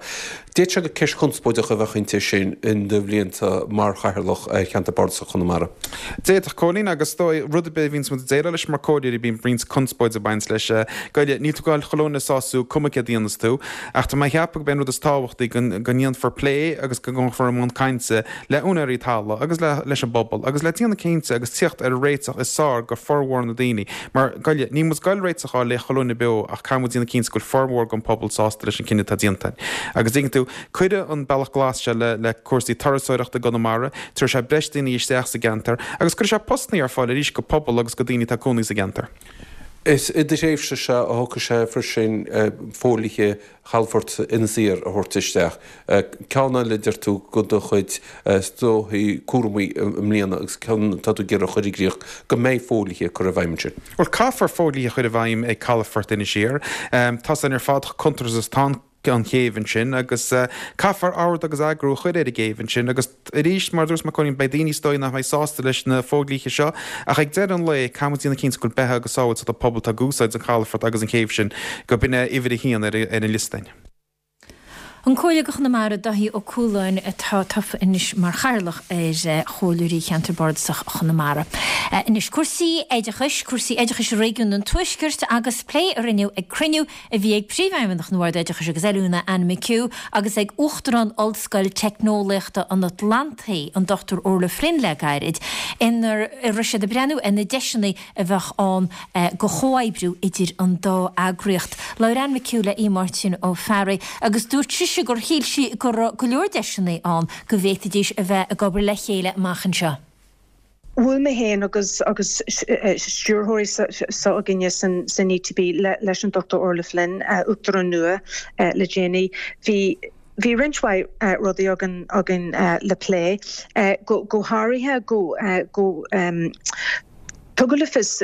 D'fhéadfadh sé gur ceist chonspóideach a bheadh inti sin in do bhlianta mar Chathaoirleach ar Cheantar Bardasach Chonamara. D'fhéadfadh, Cóilín, agus is dóigh, rud ar bith a bhíonns muid ag déileáil leis mar comhairleoirí bíonn roinnt conspóid ag baint leis. Goile, níl tú ag gabháil chuile dhuine a sású, cuma céard a dhéanas tú, ach tá mé ag ceapadh gurb é an rud is tábhachtaí go ndéanfar plé agus go ngabhfar i mbun cainte le úinéirí talaimh agus le leis an bpobal agus le déanamh cinnte agus tíocht ar an réiteach is fearr go formhór na daoine mar, goile, níl muid ag goil réiteach a fháil le chuile dhuine beo ach caithfidh muid déanamh cinnte go bhfuil formhór den pobal sásta leis an cinneadh atá déanta. Agus tuigeann tú, cuirfidh an bealach glas seo le le cúrsaí turasóireachta i gConamara, tabharfaidh sé breis daoine isteach sa gceantar agus cuirfidh sé postannaí ar fáil arís go pobal agus go daoine atá ag cónaí sa gceantar. Is i do thréimhse-se a shocraigh sé freisin fodhlíthe Chalafort Inis Oírr a thabhairt isteach. Ceann eile, deir tú, de do chuid is dóichí cúramaí i mbliana agus ceann atá tú ag iarraidh a chur i gcrích, go mbeidh fodhlíthe curtha i bhfeidhm ansin. Bhuel, caithfear fodhlíthe a chur i bhfeidhm ag Calafort Inis Oírr. Tá san ar fad chomh contúirteach is atá an. an chéibh ansin agus caithfear ord agus eagrú a chur ar an gcéibh ansin agus arís, mar a dúirt mé, Cóilín, beidh daoine is dóigh nach mbeidh sásta leis na fodhlíthe seo ach ag deireadh an lae caithfidh muid déanamh cinnte go bhfuil beatha agus sábháilteacht an pobal atá ag úsáid an chalafort agus an chéibh sin, go b'in é uimhir a haon ar an liosta againn. An Comhairleoir do Chonamara, Dáithí Ó Cualáin, atá tofa anois mar Chathaoirleach ar Chomhairleoirí Cheantar Bardasach Chonamara. Anois, cúrsaí oideachais, cúrsaí oideachais i réigiún an Tuaiscirt agus plé a rinneadh ag cruinniú a bhí ag Príomhfheidhmeannach an Bhoird Oideachais agus Oiliúna, Anne McHugh, agus ag Uachtarán Ollscoil Teicneolaíochta an Atlantaigh, an Dr Orla Flynn le gairid, ina raibh siad ag breathnú ar na deiseanna a bheadh ann do chomhoibriú idir an dá eagraíocht. Labhair Anne McHugh le Aodh Máirtín Ó Fearraigh agus dúirt sise gur shíl sí go raibh go leor deiseanna ann go bhféadfaidís a bheith ag obair le chéile amach anseo. Bhuail mé féin agus agus stiúrthóirí s'againne san ETB leis an Dr Orla Flynn, Uachtarán nua le déanaí. Bhí bhí roinnt mhaith rudaí againn againn le plé, go go háirithe go go tugadh le fios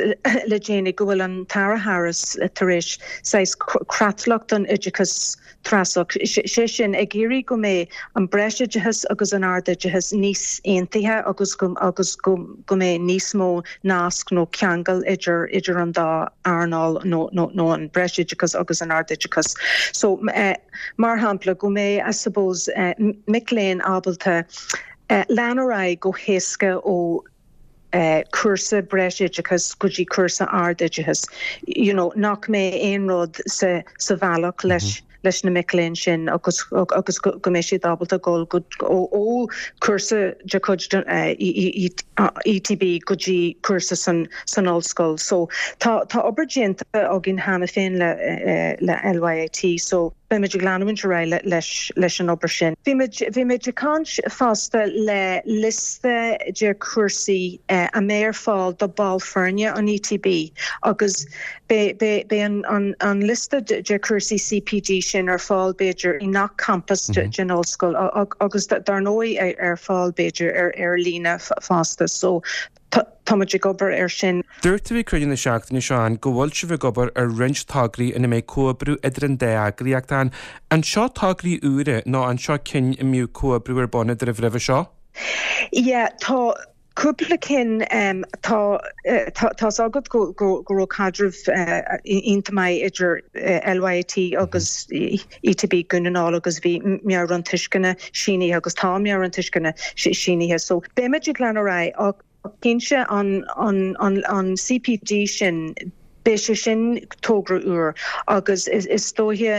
le déanaí go bhfuil an tAire Harris tar éis saghas creatlach don oideachas treasach, sé sin, ag iarraidh go mbeidh an breisoideachas agus an ardoideachas níos aontaithe agus go agus go go mbeidh níos mó nasc nó ceangal idir idir an dá earnáil nó nó nó an breisoideachas agus an ardoideachas. So, mar shampla, go mbeidh, I suppose, mic léinn ábalta lean ar aghaidh go héasca ó cúrsa breisoideachais go dtí cúrsa ardoideachais, you know, nach mbeidh aon rud sa sa bhealach leis leis na mic léinn sin agus agus go go mbeidh siad ábalta dul go ó ó cúrsa de chuid ETB go dtí cúrsa san san ollscoil. So tá tá obair déanta againn cheana féin le le LYIT so Beimid ag leanúint ar aghaidh leis leis an obair sin. Bhí muid bhí muid ag caint fosta le liosta de chúrsaí a mbeidh ar fáil do ball foirne an ETB agus beidh beidh beidh an an an liosta de chúrsaí CPD sin ar fáil b'fhéidir i ngach campas den ollscoil agus dar ndóigh ar fáil b'fhéidir ar ar líne fosta. So Táimid ag obair air sin. Dúirt tú ag cruinniú na seachtaine seo ann go bhfuil sibh ag obair ar roinnt tograí ina mbeidh comhoibriú idir an dá eagraíocht ann. An seo tograí úra nó an seo cinn a mbíodh comhoibriú ar bun eadraibh roimhe seo? Yeah, tá cúpla cinn. Tá tá's agat go go raibh caidreamh iontach maith idir LYIT agus ETB Dhún na nGall agus bhí meabhrán tuisceana sínithe agus tá meabhrán tuisceana sínithe so beimid ag lean ar aghaidh ach cinnte an an an an CPD sin beidh sé sin togra úr agus is dóiche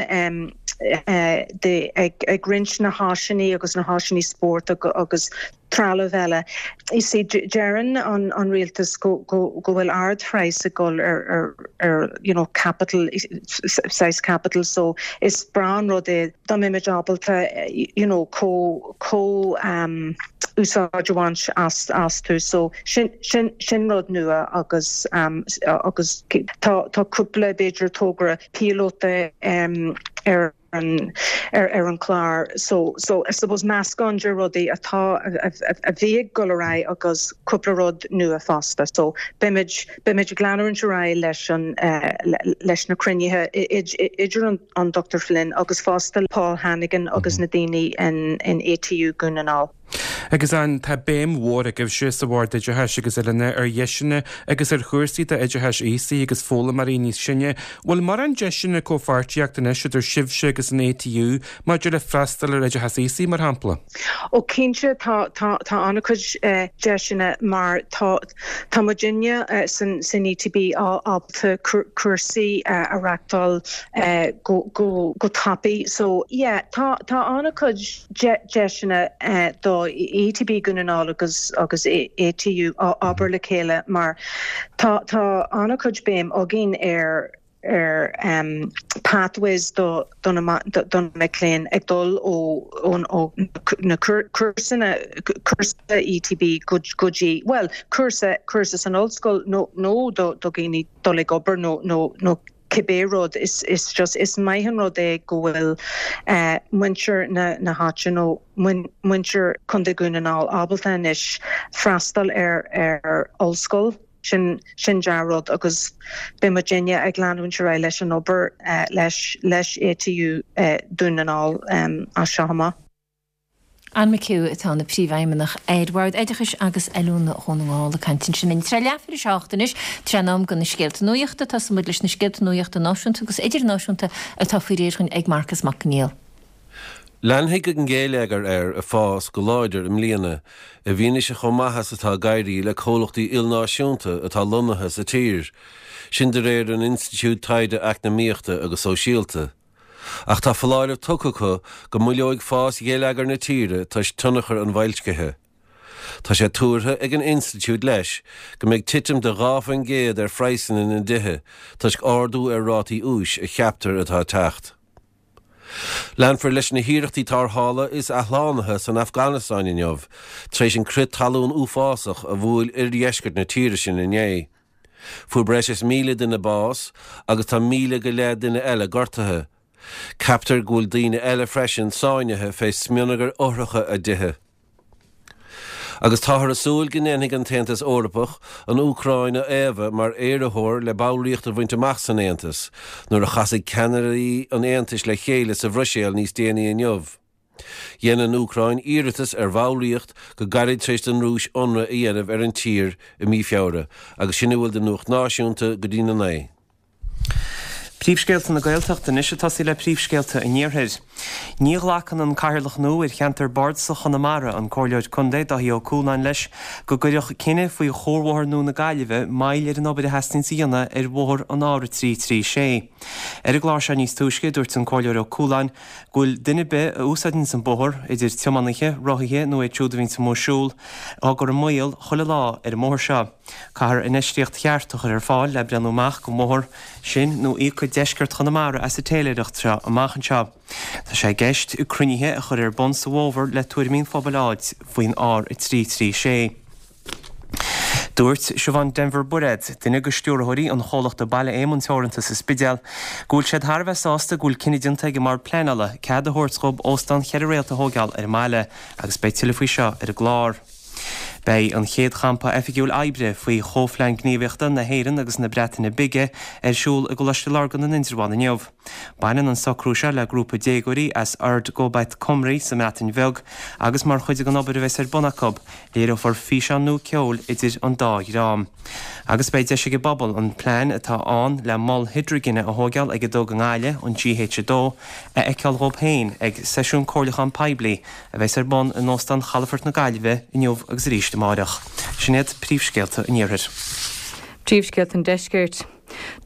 de ag ag roinnt na háiseanna agus na háiseanna spóirt agus trealamh eile. You see, deireann an rialtas go bhfuil ardphraghas ag dul ar you know capital, saghas capital so is breá an rud é dá mbeimid ábalta you know comh úsáid a bhaint astu. So sin sin sin rud nua agus agus tá tá cúpla b'fhéidir togra píolóta ar ar an chlár. So, so I suppose meascán de rudaí atá, a bhí ag dul ar aghaidh agus cúpla rud nua fosta. So beimid, beimid ag leanúint ar aghaidh leis an, leis na cruinnithe idir an an Dr Flynn agus fosta Paul Hannigan agus na daoine in in ATU Dhún na nGall. Agus Ann, tá béim mhór agaibhse sa Bhord Oideachais agus Oiliúna ar dheiseanna agus ar chúrsaí d'oideachais aosaigh agus foghlaimeoirí níos sine. Bhfuil mórán deiseanna comhpháirtíochta anois idir sibhse agus an ATU maidir le freastal ar oideachas aosaigh, mar shampla? Ó cinnte, tá, tá, tá an-chuid deiseanna mar tá, tá muidinne san, san ETB ábalta cúrsaí a reachtáil go, go, go tapaidh. So, yeah, tá, tá an-chuid deiseanna do ETB Dhún na nGall agus, agus ATU obair le chéile mar tá, tá an-chuid béim againn ar, ar pathways do na mic léinn ag dul ó na cúrsanna, cúrsa ETB go dtí, bhuel, cúrsa, cúrsa san ollscoil nó do dhaoine dul ag obair nó nó cibé rud. Is is just, is maith an rud é go bhfuil muintir na háite nó muintir Chontae Dhún na nGall ábalta anois freastal ar ar ollscoil. Sin, sin dea-rud agus beidh muidinne ag leanúint ar aghaidh leis an obair leis, leis ATU Dún na nGall as seo amach. Ann McHugh atá ina Príomhfheidhmeannach ar Bhord Oideachais agus Oiliúna Dhún na nGall ag caint ansin. Tar éis leathuair tar éis a 7 anois, tráth in am do na scéalta nuachta. Tosóidh muid leis na scéalta nuachta náisiúnta agus idirnáisiúnta atá faoi réir dhúinn ag Marcas Mac Conghail. Leanfaidh an géilleagar air ag fás go láidir i mbliana, i bhfianaise chomh maith is atá ag éirí le comhlachtaí ilnáisiúnta atá lonnaithe sa tír, sin de réir an Institiúid Taighde Eacnamaíochta agus Sóisialta. Ach tá foláireamh tugtha acu go moilleoidh fás gheilleagar na tíre toisc tionchar an bhoilscithe. Tá sé tuartha ag an institiúid leis go mbeidh titim de 2% ar phraghsanna na dtithe toisc ardú ar rátaí úis a cheaptar atá ag teacht. Leanfar leis na hiarrachtaí tarrthála is athshlánaithe san Afganastáin inniu, tar éis an crith talún uafásach a bhuail oirdheisceart na tíre sin inné. Fuair breis is 1,000 duine bás agus tá 1,000 go leith duine eile gortaithe. Ceaptar go bhfuil daoine eile freisin sáinnithe fé smionagar fhothracha a dtithe. Agus táthar ag súil go ndéanfaidh an tAontas Eorpach an Úcráin a fhaomhadh mar iarrthóir le ballraíocht a bhaint amach san Aontas nuair a chasfaidh ceannairí an Aontais le chéile sa Bhruiséil níos déanaí inniu. Dhein an Úcráin iarratas ar bhallraíocht go gairid tar éis don Rúis ionradh a dhéanamh ar an tír i mí Feabhra agus sin a bhfuil de nuacht náisiúnta go dtí na naoi. Príomhscéalta na Gaeltachta anois ag tosaí le príomhscéalta an Iarthair. Ní ghlacann an Cathaoirleach nua ar cheantar Bardasach Chonamara, an Comhairleoir Contae Dáithí Ó Cualáin leis go gcuirfeadh cinneadh faoi chuarbhóthar nua na Gaillimhe moill ar an obair a theastaíonns a dhéanamh ar bhóthar an R336. Ar an gclár seo níos túisce dúirt an Comhairleoir Ó Cualáin go bhfuil duine ar bith a úsáideanns an bóthar, idir tiománaithe, rothaithe nó iad siúd a bhíonns amuigh ag siúl, á gcur i mbaol chuile lá ar an mbóthar seo. Caithfear infheistíocht cheart a chur ar fáil le breathnú amach don bhóthar sin nó íocfaidh deisceart Chonamara as an téiléireacht seo amach anseo. Tá sé i gceist cruinnithe a chur ar bun sa bhfómhar le tuairimí an phobail a fháilt faoin R336. Dúirt Siobhán Denvir Bairéad, duine de stiúrthóirí an chomhlachta Baile Éamoinn Teoranta sa Spidéal, go bhfuil siad thar a bheith sásta go bhfuil cinneadh déanta ag an mBord Pleanála cead a thabhairt dhóibh óstán cheithre réalt a thóigeáil ar an mbaile agus beidh tuilleadh faoi seo ar an gclár. Beidh an chéad champa oifigiúil oibre faoi Chomhphlean Gníomhaíochta na hÉireann agus na Breataine Bige ar siúl i gColáiste Lurgan in Indreabhán inniu. Baineann an socrú seo le grúpa déagóirí as Urdd Gobaith Cymru sa mBreatain Bheag agus mar chuid den obair a bheas ar bun acu, léireofar físeán nua ceoil idir an dá dhream. Agus beidh deis ag an bpobal an plean atá ann le mol hidrigine a thóigeáil ag an dTug i nGaillimh, an GH2, a fheiceáil dhóibh féin ag seisiún comhairliúcháin poiblí a bheas ar bun in Óstán Chalafort na Gaillimhe inniu agus arís amáireach. Sin iad príomhscéalta an Iarthair. Príomhscéalta an Deiscirt.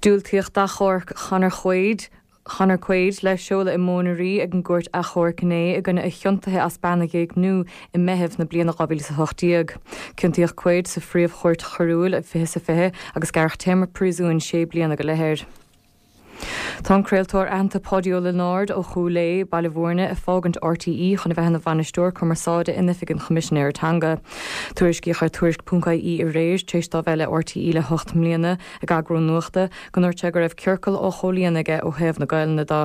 Diúltaíodh d'achomharc Chonor Quaid, Conor Quaid le seoladh i Móin an Rí ag an gCúirt Achomhairc inné i gcoinne a chiontaithe as bean a ghéigniú i Meitheamh na bliana 2018. Ciontaíodh Quaid sa Phríomh-Chúirt Choiriúil i 2020 agus gearradh téarma príosúin sé bliana go leith air. Tá an craoltóir aitheanta Páidí Ó Lionáird ó Chúil Aodha, Baile Bhúirne, ag fágaint RTÉ chun a bheith ina bhainisteoir cumarsáide in Oifig an Choimisinéara Teanga. Tuairiscíodh ar Tuairisc.ie aréir, tar éis dó bheith le RTÉ le hocht mbliana, ag eagrú nuachta, go ndúirt sé go raibh ciorcal á chomhlíonadh aige ó thaobh na Gaelainne de.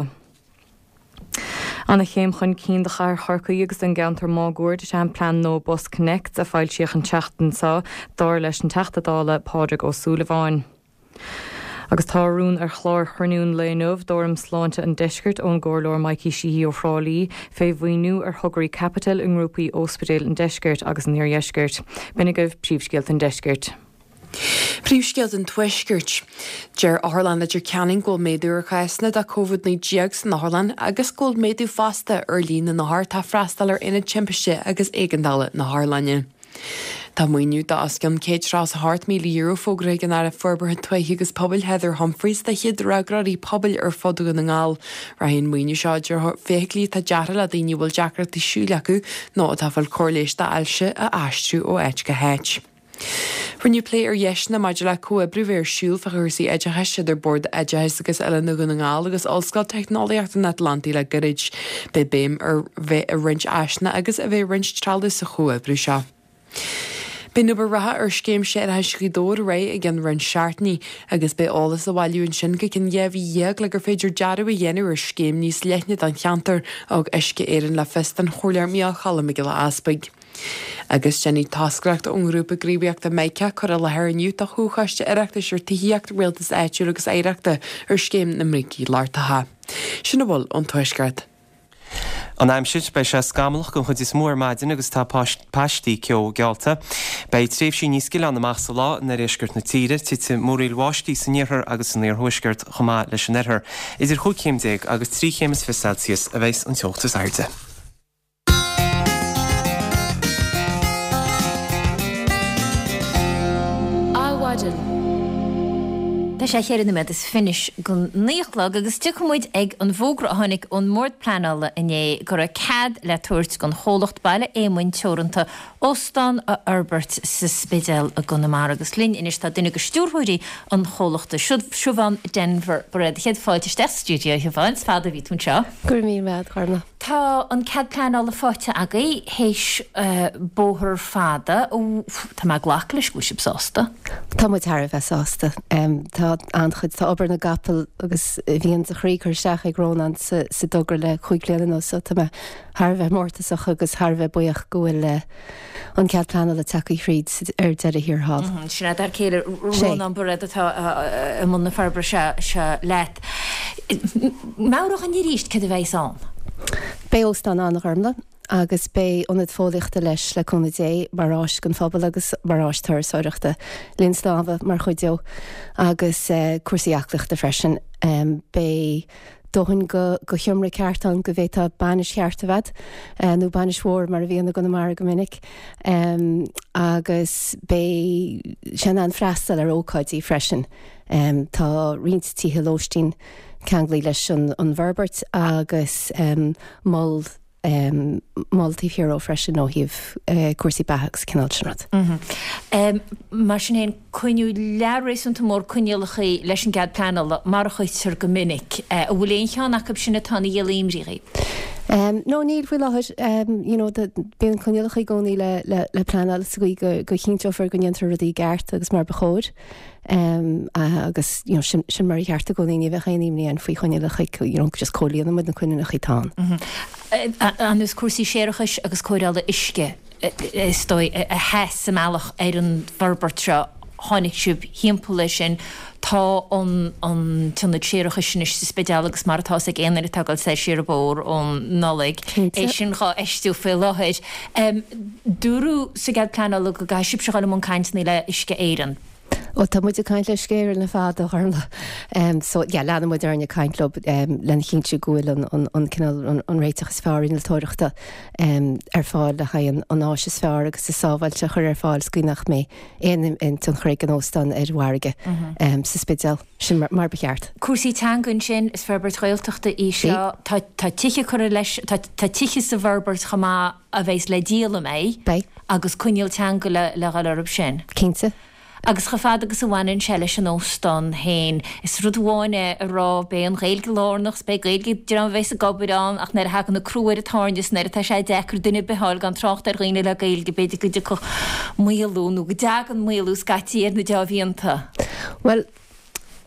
Ana-chéim chun cinn do chathair Chorcaí agus don gceantar máguaird is ea an plean nua BusConnects a foilsíodh an tseachtain seo, dar leis an Teachta Dála Pádraig Ó Súilleabháin. Agus tá rún ar chlár chruinniú an lae inniu d'Fhóram Sláinte an Deiscirt ón gComhairleoir Mikey Sheehy ó Thrá Lí fé mhaoiniú ar thograí caipitil i ngrúpaí óspidéil an Deiscirt agus an Iardheiscirt. B'in agaibh príomhscéalta an Deiscirt. Príomhscéalta an Tuaiscirt. Deir Otharlann Leitir Ceanainn go bhfuil méadú ar chásanna de Covid-19 san otharlann agus go bhfuil méadú fosta ar líon na n-othar atá ag freastal ar Aonad Timpiste agus Éigeandála na hotharlainne. Tá maoiniú de os cionn €138,000 fógartha ag an Aire Forbartha Tuaithe agus Pobail Heather Humphreys do chéad fhreagróirí pobail ar fud Dhún na nGall. Rachaidh an maoiniú seo i dtreo feithiclí atá deartha le daoine a bhfuil deacrachtaí siúil acu nó atá ag fáil cóir leighis d'ailse a aistriú ó áit go háit. Rinneadh plé ar dheiseanna maidir le comhoibriú bheith ar siúl fá chúrsaí oideachais idir Bord Oideachais agus Oiliúna Dhún na nGall agus Ollscoil Teicneolaíochta an Atlantaigh le gairid. Beidh béim ar bheith ag roinnt áiseanna agus a bheith ag roinnt trealaimh sa chomhoibriú seo. Beidh an obair reatha ar Scéim Séarachais Ghaoth Dobhair réidh i gceann roinnt seachtainí agus beidh eolas á bhailiú ansin go ceann 12 mhí le gur féidir dearadh a dhéanamh ar scéim níos leithne don cheantar, a thug Uisce Éireann le fios don Chomhairleoir Micheál Cholm Mac Giolla Easpaig. Agus déanfaidh toscaireacht ón ngrúpa gníomhaíochta Mica cur i láthair inniu do Chomhchoiste Oireachtais ar Tithíocht, Rialtas Áitiúil agus Oidhreachta ar Scéim na mBrící Lochtacha. Sin a bhfuil ón Tuaisceart. An aimsir, Beidh sé scamallach den chuid is mó ar maidin agus tá paistí ceo geallta. Beidh tréimhsí níos gile ann amach sa lá in oirdheisceart na tíre. Titfidh múraíl bháistí san iarthar agus san iarthuaisceart chomh maith leis an oirthear. Idir chúig chéim déag agus 3 chéim is 20 Celsius a bheas an teocht is airde. Adhmhaidin. Tá sé cheithre nóiméad is fiche go naoi a chlog agus tiocfaidh muid ag an bhfógra a tháinig ón mBord Pleanála inné go raibh cead le tabhairt don chomhlacht Baile Éamoinn Teoranta óstán a fhorbairt sa Spidéal i gConamara. Agus linn anois tá duine de stiúrthóirí an chomhlachta, Siobhán Denvir Bairéad. Céad fáilte isteach sa stiúideo, a Shiobháin. Is fada a bhí tú anseo. Go raibh míle maith agat, a Ghormfhlaith. Tá an cead pleanála faighte agaibh théis bóthar fada. Tá mé ag glacadh leis go bhfuil sibh sásta? Tá muid thar a bheith sásta. Tá an-chuid, tá obair na gcapall agus a mhian de chroí curtha isteach ag Rónán sa dtogra le chúig bliana anuas so tá mé thar a bheith mórtasach agus thar a bheith buíoch go bhfuil an cead pleanála tagtha thríd ar deireadh thiar thall. Sin é d'fhear céile Rónán Bairéad atá i mbun na forbartha seo leat. Meabhraigh dhúinn arís céard a bheas ann. Beidh óstán ann, a Ghormfhlaith, agus beidh ionad fóillíochta leis, le cúnamh Dé, mar áis don phobal agus mar áis turasóireachta. Linn snámha mar chuid dó agus cúrsaí aclaíochta freisin. Beidh dóthain go sheomra ceart ann go bhféadfá bainis cheart a bheith agat, nó bainis mhór mar a bhíonn i gConamara go minic. Agus beidh sé in ann freastal ar ócáidí freisin. Tá roinnt tithe lóistín ceanglaithe leis an bhforbairt agus mol mol taobh thiar dhó freisin ó thaobh cúrsaí beatha agus cineál sin rud. Mar sin féin, coinníodh lear réasúnta mór coinníollacha leis an gcead pleanála, mar a chuirtear go minic. An bhfuil aon cheann acu sin atá ina dhíol imní dhaoibh? No, níl faoi láthair. You know, bíonn coinníollacha i gcónaí le pleanáil sa gcaoi go chinnteofar go ndéantar rudaí i gceart agus mar ba chóir. Agus you know sin sin mar ba cheart i gcónaí, ní bheadh aon imní againn faoi choinníollacha, you know just comhlíonann muid na coinníollacha atá ann. Anuas cúrsaí séarachais agus cóireála uisce is dóigh a sheas sa mbealach ar an bhforbairt seo, tháinig sibh thimpeall air sin. Tá an an t-ionad séarachais anois sa Spidéal agus mar atá fhios ag aon duine atá ag dul soir siar an bóthar ón Nollaig, é sin dhá fheistiú faoi láthair. Dúradh sa gcead pleanála go gcaithfidh sibhse dhul i mbun cainteanna le Uisce Éireann. Bhuel, tá muid ag caint le Uisce Éireann le fada, a Ghormfhlaith. So, yeah, leanann muid orainn ag caint leo lena chinntiú go bhfuil an, an, an cineál, an, an réiteach is fearr innealtóireachta ar fáil le haghaidh an, an áis is fearr agus is sábháilte a chur ar fáil sa gcaoi nach mbeidh aon, aon tionchar ag an óstán ar an bhfarraige sa Spidéal. Sin mar, mar ba cheart. Cúrsaí teanga ansin, is forbairt Ghaeltachta í seo. Tá, tá tithe curtha leis, tá, tá tithe sa bhforbairt chomh maith. a bheas le díol, an mbeidh? Beidh. Agus coinníoll teanga le le dhul orthu sin. Cinnte. Agus chomh fada agus a bhaineann sé leis an óstán féin, is rud amháin é a rá beidh an Ghaeilge lárnach 's beidh Gaeilge ag dream a bheas ag obair ann ach nuair a thagann an crú ar an tairne 's nuair atá sé deacair duine ar bith a fháil gan trácht ar dhaoine le Gaeilge b'fhéidir go dtiocfadh maolú nó go dtagann maolú scaití ar na deá-mhianta. Bhuel,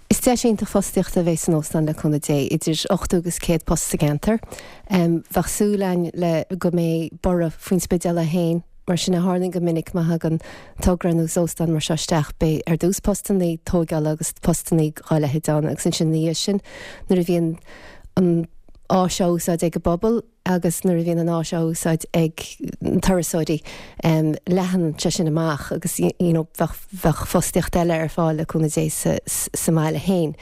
Is deis iontach fostaíochta a bheidh san óstán le cúnamh Dé, idir 80 agus 100 post sa gceantar. Bheadh súil againn le go mbeidh borradh faoin Spidéal é féin. Mar sin a tharlaíonn go minic má thagann togra nó óstán mar seo isteach, beidh ar dtús postannaí tóigeála agus postannaí dhá leithéid ann agus ansin ina dhiaidh sin nuair a bhíonn an áis á úsáid ag an bpobal agus nuair a bhíonn an áis á úsáid ag na turasóirí leathann sé sin amach agus you know bheadh bheadh fostaíocht eile ar fáil le cúnamh Dé sa sa mbaile féin.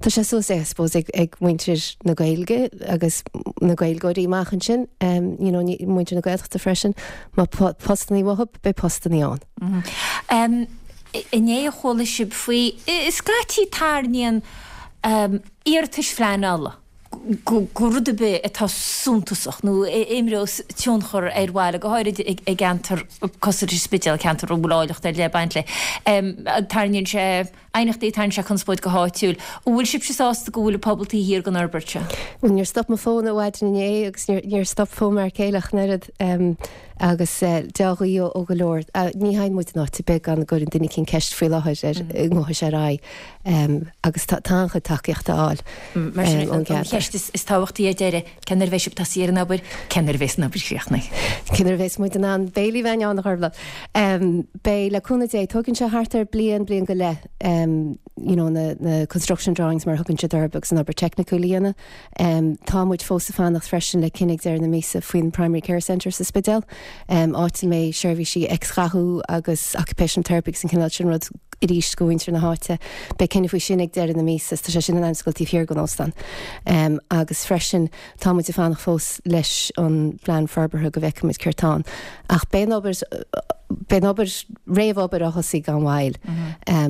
Tá sé suas I suppose ag ag muintir na Gaeilge agus na Gaeilgeoirí amach ansin you know muintir na Gaeltachta freisin má tá postannaí uathu beidh postannaí ann. Inné a chuala sibh faoi, scaití tarraingíonn iarratais phleanála go rud ar bith atá suntasach nó a imreos tionchar ar bhaile, go háirid i gceantar cosúil leis an Spidéal, ceantar a bhfuil áilleacht ar leith ag baint léi. Tarraingíonn sé aighneachtaí, tarraingíonn sé conspóid go háitiúil. An bhfuil sibhse sásta go bhfuil an pobal taobh thiar den fhorbairt seo? Bhuel, níor stop mo fón ó mhaidin inné agus níor stop fón m'fhear céile ach an oiread agus dea-ghuí ó go leor. Ní théann muid in áit ar bith gan go gcuireann duine eicínt ceist faoi láthair ar an ngabhfaidh sé ar aghaidh agus tá an-chuid tacaíochta á fháil Mar sin, an cheist is tábhachtaí ar deireadh, cén uair a bheidh sibh ag tosaí ar an obair, cén uair a bheas an obair críochnaithe? Cén uair a bheas muid in ann béilí a bheith ann, a Ghormfhlaith? Beidh, le cúnamh Dé, tógann sé thart ar bliain, bliain go leith, you know, na, na construction drawings mar a thugann siad orthu agus an obair teicniúil a dhéanamh. Tá muid fós ag fanacht freisin le cinneadh ag deireadh na míosa faoin Primary Care Centre sa Spidéal, áit a mbeidh seirbhísí X-ghathú agus occupational therapy agus an cineál sin rud arís do mhuintir na háite. Beidh cinneadh faoi sin ag deireadh na míosa, tá sé sin in ainm is a dhul taobh thiar den óstán. Agus freisin, Tá muid ag fanacht fós leis an bplean forbartha go bhfeicfidh muid céard tá ann. Ach beidh an obair, beidh an obair, réamhobair á thosaí gan mhoill.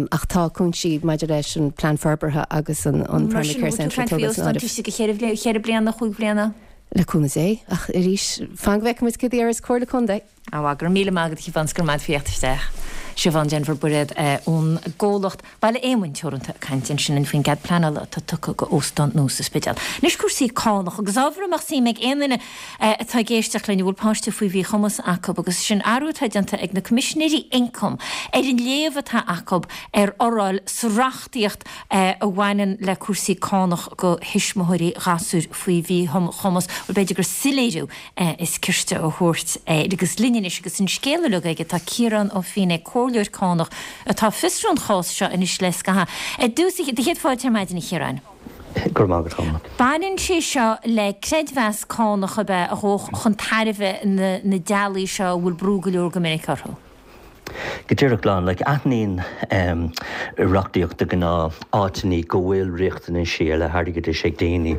Ach tá cúinsí maidir leis an bplean forbartha agus an Mar Primary sin, Care bhfuil tú ag Centre caint faoi tógáil san óstán áireamh. taobh istigh de cheithre, cheithre bliana, chúig bhliana? Le cúnamh Dé. Ach arís, fan go bhfeicfidh muid céard a dhéarfas Comhairle Contae. Á, go raibh míle maith agat a Shiobhán 's go raibh maith agat faoi theacht isteach. Siobhán Denvir Bairéad ón gcomhlacht Baile Éamoinn Teoranta ag caint ansin linn faoin gcead pleanála atá tugtha go óstán nua sa Spidéal. Anois cúrsaí cánach agus ábhar a mbeadh suim ag aon duine atá ag éisteacht linn a bhfuil páiste faoi mhíchumas acu agus sin athrú atá déanta ag na Coimisinéirí Ioncaim ar an léamh atá acu ar fhoráil sa reachtaíocht a bhaineann le cúrsaí cánach go thuismitheoirí ghasúir faoi mhíchumas. Bhuel b'fhéidir gur soiléiriú is cirte a thabhairt air. Agus linn anois agus an scéal uilig aige tá Ciarán Ó Feinneadha, comhairleoir cánach atá ag fiosrú an chás seo anois le scaitheamh. Ar dtús, do chéad fáilte ar maidin a Chiaráin. Go raibh maith agat, Orla. Baineann sé seo le creidmheas cánach ab ea a ghabhadh chun tairbhe na dteaghlaigh seo a bhfuil brú go leor go minic orthu. Go díreach glan. Like, aithníonn reachtaíocht de ghnáth áiteannaí go bhfuil riachtanaisí ar leith airgeadais ag daoine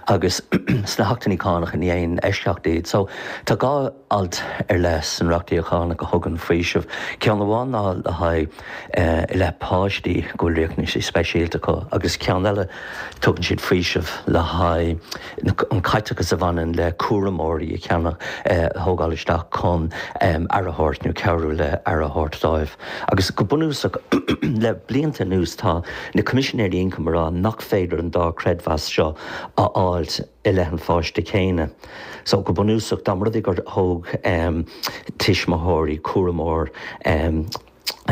agus sna hachtannaí cánach ní aon eisceacht iad. So, tá dhá alt ar leith san reachtaíocht chánach a thugann faoiseamh. Ceann amháin ná le haghaidh i leith páistí go bhfuil riachtanaisí speisialta acu agus ceann eile tugann siad faoiseamh le haghaidh an caiteachas a bhaineann le cúramóirí a cheannach, a thógáil isteach chun aire a thabhairt nó cabhrú le aire a thabhairt dóibh. Agus go bunúsach, le blianta anuas tá na Coimisinéirí Ioncaim ag rá nach féidir an dá chreidmheas seo a fháilt i leith an pháiste céanna. So, go bunúsach, dá mba rud é gur thóg tuismitheoirí cúramóir,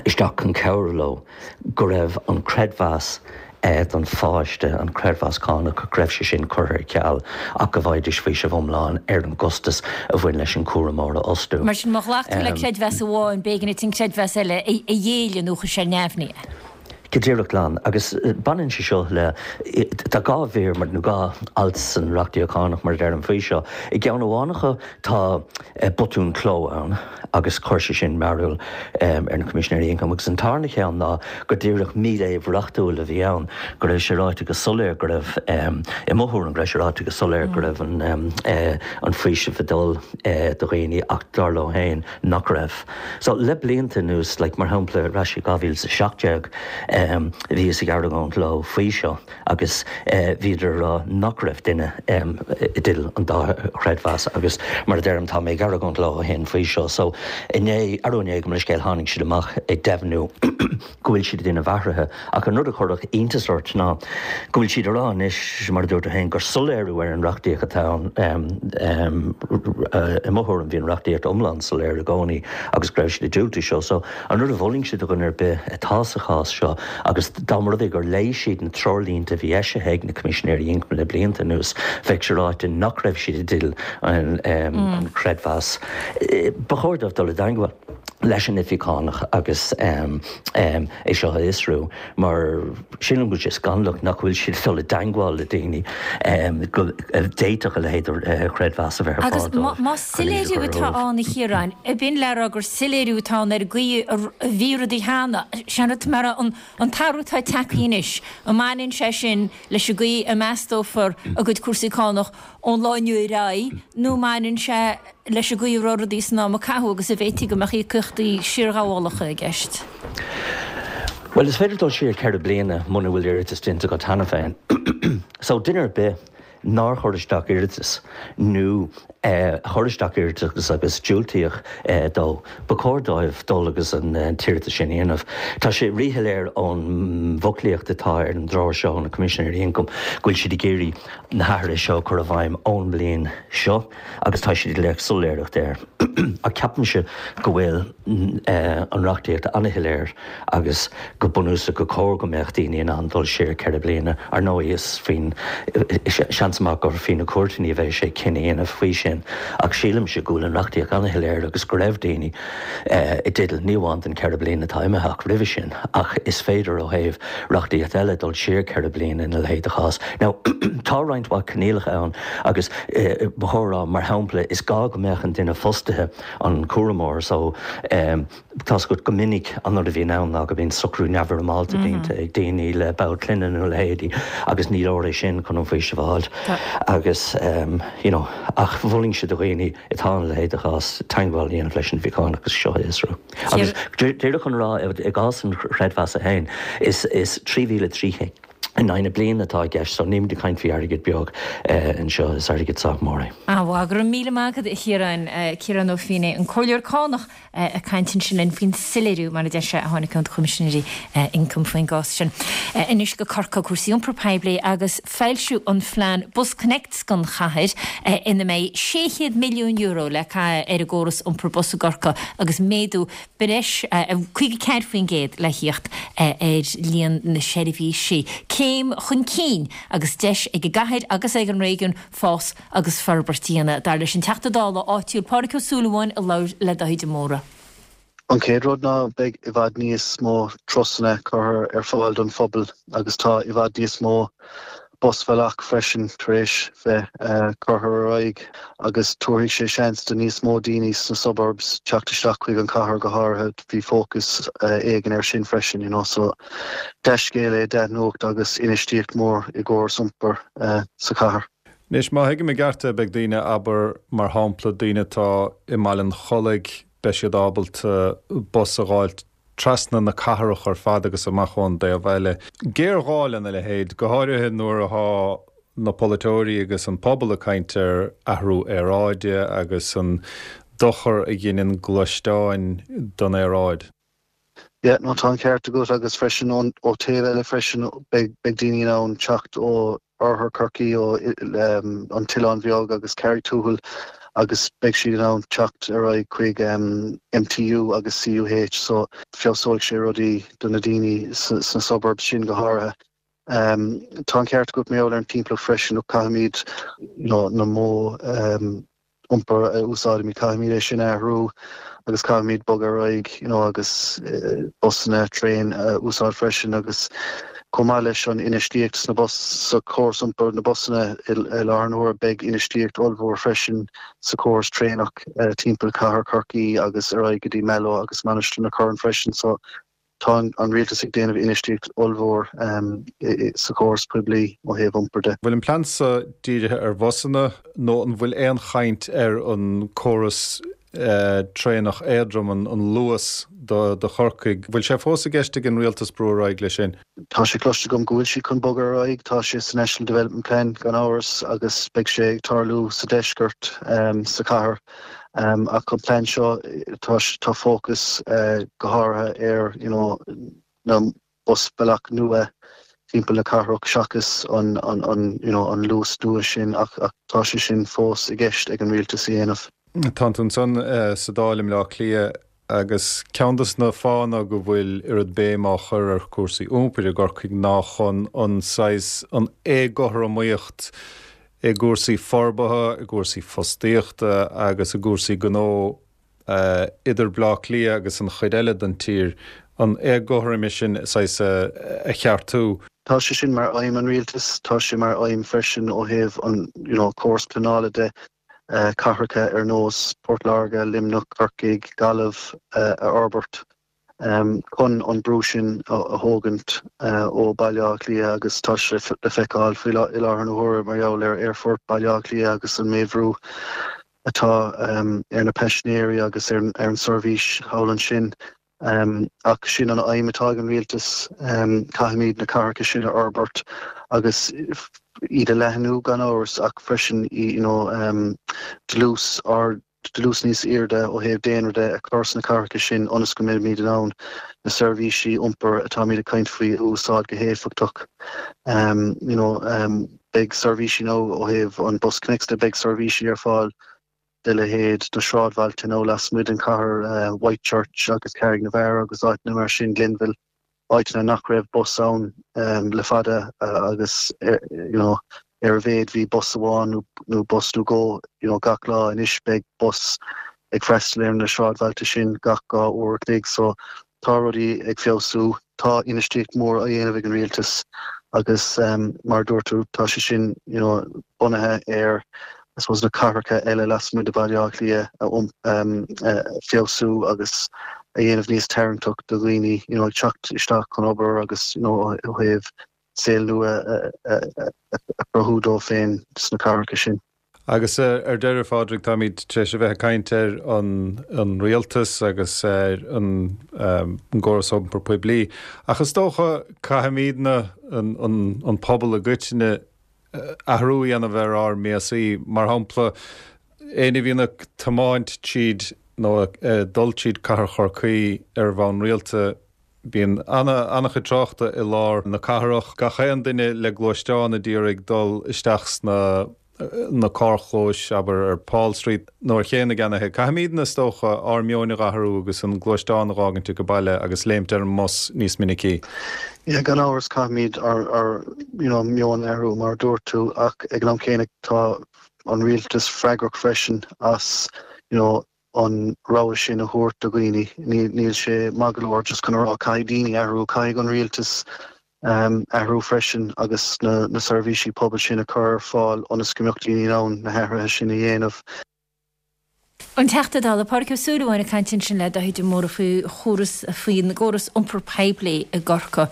isteach chun cabhrú leo, go raibh an creidmheas don pháiste, an creidmheas cánach, go raibh sé sin curtha ar ceal ach go bhfaighidís faoiseamh iomlán ar an gcostas a bhain leis an gcúramóir a fhostú. Mar sin, má ghlac tú le creidmheas amháin, b'éigean duit an creidmheas eile a ghéilleadh nó chuir sé ar neamhní é. Go díreach glan. Agus baineann sé seo le, tá dhá mhír mar, nó dhá alt san reachtaíocht chánach mar a deirim faoi seo. I gceann amháin acu tá botún cló ann agus chuir sé sin mearbhall ar na Coimisinéirí Ioncaim agus an tarna cheann ná go díreach míléamh reachtúil a bhí ann, go raibh sé ráite go soiléir go raibh, i mo thuairim, go raibh sé ráite go soiléir go raibh an faoiseamh ag dul do dhaoine ach dar leo féin nach raibh. So le blianta anuas, like mar shampla ar ais i 2017, bhíothas ag argóint leo faoi seo agus bhíodar ag rá nach raibh duine i dteideal an dá chreidmheas agus mar a deirim tá mé ag argóint leo ó shin faoi seo. So inné, arú inné gabh mo leithscéal, tháinig siad amach ag deimhniú go bhfuil siad ag déanamh athruithe ach an rud a chuirfeadh iontas ort ná go bhfuil siad ag rá anois, mar a dúirt tú féin, gur soiléiriú ar an reachtaíocht atá ann. I mo thuairim bhí an reachtaíocht iomlán soiléir i gcónaí agus go raibh siad ag diúltú seo. So an rud a mholfainnse do dhuine ar bith atá sa chás seo. Agus dá mba rud é gur léigh siad na treoirlínte a bhí eisithe ag na Coimisinéirí Ioncaim le blianta anuas, bheadh sé ráite nach raibh siad i dteideal an chreidmheas. Ba chóir dóibh dul i dteangmháil leis an Oifig Chánach agus é seo a fhiosrú mar sílim go bhfuil sé scannalach nach bhfuil siad ag dul i dteangmháil le daoine go d'fhéadfadh a leithéid de chreidmheas a bheith ar Agus fáil dóibh más chun iad a soiléiriú chur atá ar ann a Chiaráin, ab in le rá gur soiléiriú atá ann ar an gcaoi a bhí rudaí cheana, sin rud mar an an t-athrú atá tagtha anois, an mbaineann sé sin leis an gcaoi a meastófar a gcuid cúrsaí cánach ón lá inniu ar aghaidh nó an mbaineann sé leis an gcaoi a raibh rudaí san am a caitheadh agus an bhféadfaí go mbeadh íocaíochtaí siarghabhálacha i gceist? Bhuel, is féidir dul siar 4 bliana muna bhfuil iarratas déanta agat cheana féin. So, duine ar bith nár chuir isteach iarratas nó a chuir isteach iarratas agus diúltaíodh dó, ba chóir dóibh dul agus an t-iarratas sin a dhéanamh. Tá sé ríshoiléir ón bhfoclaíocht atá ar an dtreoir seo ó na Coimisinéirí Ioncaim go bhfuil siad ag iarraidh na hathruithe seo a chur i bhfeidhm ón mbliain seo agus tá siad ag lorg soiléireacht air. Ach ceapaimse go bhfuil an reachtaíocht an-shoiléir agus go bunúsach gur chóir go mbeadh daoine in ann dul siar 4 bliana. Ar ndóigh is faoin, seans maith gur faoi na cúirteanna a bheidh sé cinneadh a dhéanamh faoi sin ach sílimse go bhfuil an reachtaíocht an-shoiléir agus go raibh daoine i dteideal ní amháin den 4 bliana atá imithe ach roimhe sin ach is féidir ó thaobh reachtaíocht eile dul siar 4 bliana ina leithéid de chás. Now tá roinnt mhaith coinníollacha ann agus ba chóir a rá mar shampla is gá go mbeadh an duine fostaithe, an cúramóir so, Tá's agat go minic an rud a bhíonn ann ná go mbíonn socrú neamhfhoirmeálta déanta ag daoine le ball clainne nó a leithéidí agus ní leor é sin chun an faoiseamh a fháilt agus you know ach mholfainnse do dhaoine atá ina leithéid de chás teagmháil a dhéanamh leis an Oifig Chánach agus seo a fhiosrú. Agus díreach chun a rá i gcás an chreidmheasa féin is is 3,300 in aghaidh na bliana atá i gceist so nílimid ag caint faoi airgead beag anseo, is airgead sách mór é. An-mhaith, go raibh míle maith agat a Chiaráin. Ciarán Ó Feinneadha, an Comhairleoir Cánach ag caint ansin linn faoin soiléiriú, mar a deir sé, a tháinig ó na Coimisinéirí Ioncaim faoin gcás sin. Anois go Corcaigh, cúrsaí iompair poiblí agus foilsiú an phlean BusConnects don chathair ina mbeidh €600 milliún le caitheamh ar an gcóras iompair bus i gCorcaigh agus méadú breis 54% le thíocht ar líon na seirbhísí. Céim chun cinn agus deis ag an gcathair agus ag an réigiún fás agus forbairt a dhéanamh, dar leis an Teachta Dála áitiúil Pádraig Ó Súilleabháin a labhair le Dáithí de Mórdha. An chéad rud ná beidh i bhfad níos mó turasanna curtha ar fáil don phobal agus tá i bhfad níos mó busbhealach freisin tar éis bheith curtha ar aghaidh agus tabharfaidh sé seans do níos mó daoine sna suburbs teacht isteach chuig an chathair go háirithe, bhí fócas éigin air sin freisin you know so dea-scéal é, dea-nuacht agus infheistíocht mór i gcóras iompair sa chathair. Anois má thuigim i gceart é beidh daoine, abair mar shampla daoine atá i mBaile an Chollaigh, beidh siad ábalta bus a dh'fháilt trasna na cathrach ar fad agus amach ón dtaobh eile. Géarghá lena leithéid, go háirithe nuair atá na polaiteoirí agus an pobal ag caint ar athrú aeráide agus an dochar a dheineann gluaisteáin don aeráid. Yeah, no tá an ceart agat agus freisin ó taobh eile freisin beidh daoine in ann teacht ó oirthear Chorcaí, ó an tOileán Bheag agus Carraig Tuathail agus beidh siad in ann teacht ar aghaidh chuig MTU agus CUH so feabhsóidh sé rudaí do na daoine sna suburbs sin go háirithe. Tá an ceart agat mar gheall ar an timpeallacht freisin, look caithfimid you know na modh iompair a úsáidimid, caithfimid é sin a athrú agus caithfimid bogadh ar aghaidh you know agus busanna, traein a úsáid freisin agus chomh maith leis an infheistíocht sna bus, sa chóras iompair, na busanna i láthair na huaire, beidh infheistíocht ollmhór freisin sa chóras traenach timpeall chathair Chorcaí agus ar aghaidh go dtí Mallow agus Mainistir na Corann freisin so Tá an rialtas ag déanamh infheistíocht ollmhór sa chóras poiblí ó thaobh iompair de. Bhfuil an plean seo dírithe ar bhusanna nó an bhfuil aon chaint ar an córas traenach éadrom, an Luas do Chorcaigh? Bhfuil sé fós i gceist ag an rialtas brú ar aghaidh leis sin? Tá sé cloiste agam go bhfuil siad chun bogadh ar aghaidh. Tá sé sa National Development Plan gan amhras agus beidh sé ag tarlú sa deisceart sa chathair. Ach an plean seo, tá tá fócas go háirithe ar you know na busbhealach nua timpeall na cathrach seachas an an you know an Luas nua sin ach ach tá sé sin fós i gceist ag an rialtas a dhéanamh. Tánn tú ansan sa Dáil i mBleá Cliath. Agus ceann dos na fáthanna go bhfuil oiread béim á chur ar chúrsaí iompair i gCorcaigh ná chun an saghas, an éagothromaíocht i gcúrsaí forbartha, i gcúrsaí fostaíochta agus i gcúrsaí gnó idir Bleá Cliath agus an chuid eile den tír, an éagothroime sin saghas a cheartú. Tá sé sin mar aidhm an Rialtais, tá sé mar aidhm freisin ó thaobh an you know córas pleanála de, cathracha ar nós Port Láirge, Luimneach, Corcaigh, Gaillimh a fhorbairt chun an brú sin a thógaint ó Baile Átha Cliath agus tá sé le feiceáil faoi i láthair na huaire mar gheall ar Aerfort Baile Átha Cliath agus an méid bhrú atá ar na paisinéirí agus ar an seirbhís thall ansin. Ach sin an aidhm atá ag an rialtas, caithfimid na cathracha sin a fhorbairt agus iad a leathnú gan amhras ach freisin you know dlús ard, dlús níos airde ó thaobh daonra de a chur sna cathracha sin ionas go mbeimid in ann na seirbhísí iompair atáimid ag caint faoi a úsáid go héifeachtach. You know beidh seirbhísí now ó thaobh an BusConnects de, beidh seirbhísí ar fáil de leithéid na sráidbhailte nó lasmuigh den chathair, Whitechurch agus Carraig na bhFear agus áiteanna mar sin, Glenville, áiteanna nach raibh bus ann le fada agus you know ar a mhéad bhí bus amháin nó bus nó dhó you know gach lá. Anois beidh bus ag freastal ar na sráidbhailte sin gach 2 uair a chloig so Tá rudaí ag feabhsú. Tá infheistíocht mhór á dhéanamh ag an rialtas agus mar a dúirt tú, tá sé sin you know bunaithe ar I suppose na cathracha eile lasmuigh de Bhaile Átha Cliath a feabhsú agus a dhéanamh níos tarraingteach do dhaoine you know ag teacht isteach chun obair agus you know ó thaobh saol nua a chruthú dóibh féin sna cathracha sin. Agus ar deireadh, a Phádraig, táimid tar éis a bheith ag caint ar an rialtas agus ar an gcóras iompair poiblí, ach is dócha caithfimidne, an pobal i gcoitinne, athrú a dhéanamh ar ár mbéasaí. Mar shampla, éinne a bhíonn ag tiomáint tríd nó ag dul tríd cathair Chorcaí ar bhonn rialta, Bíonn an-chuid tráchta i lár na cathrach, gach aon duine le gluaisteán a d'iarraidh dul isteach sna na carrchlóis, abair, ar Paul Street nó ar Ché na gCeannaithe. Caithfimidne, is dócha, ár meoin a dh'athrú agus an gluaisteán a dh'fhágaint age baile agus léimt ar an mbus níos minicí. Yeah, gan amhras caithfimid ár ár you know meon a athrú mar a dúirt tú ach ag an am céanna tá an rialtas freagrach freisin as you know an rogha sin a thabhairt do dhaoine. Níl sé maith go leor just chun a rá caithfidh daoine athrú, caithfidh an rialtas athrú freisin agus na seirbhísí pobail sin a chur ar fáil ionas go mbeadh daoine in ann na hathruithe sin a dhéanamh. An Teachta Dála Pádraig Ó Súilleabháin ag caint ansin le Dáithí de Mórdha faoi chóras faoin gcóras iompar poiblí i gCorcaigh.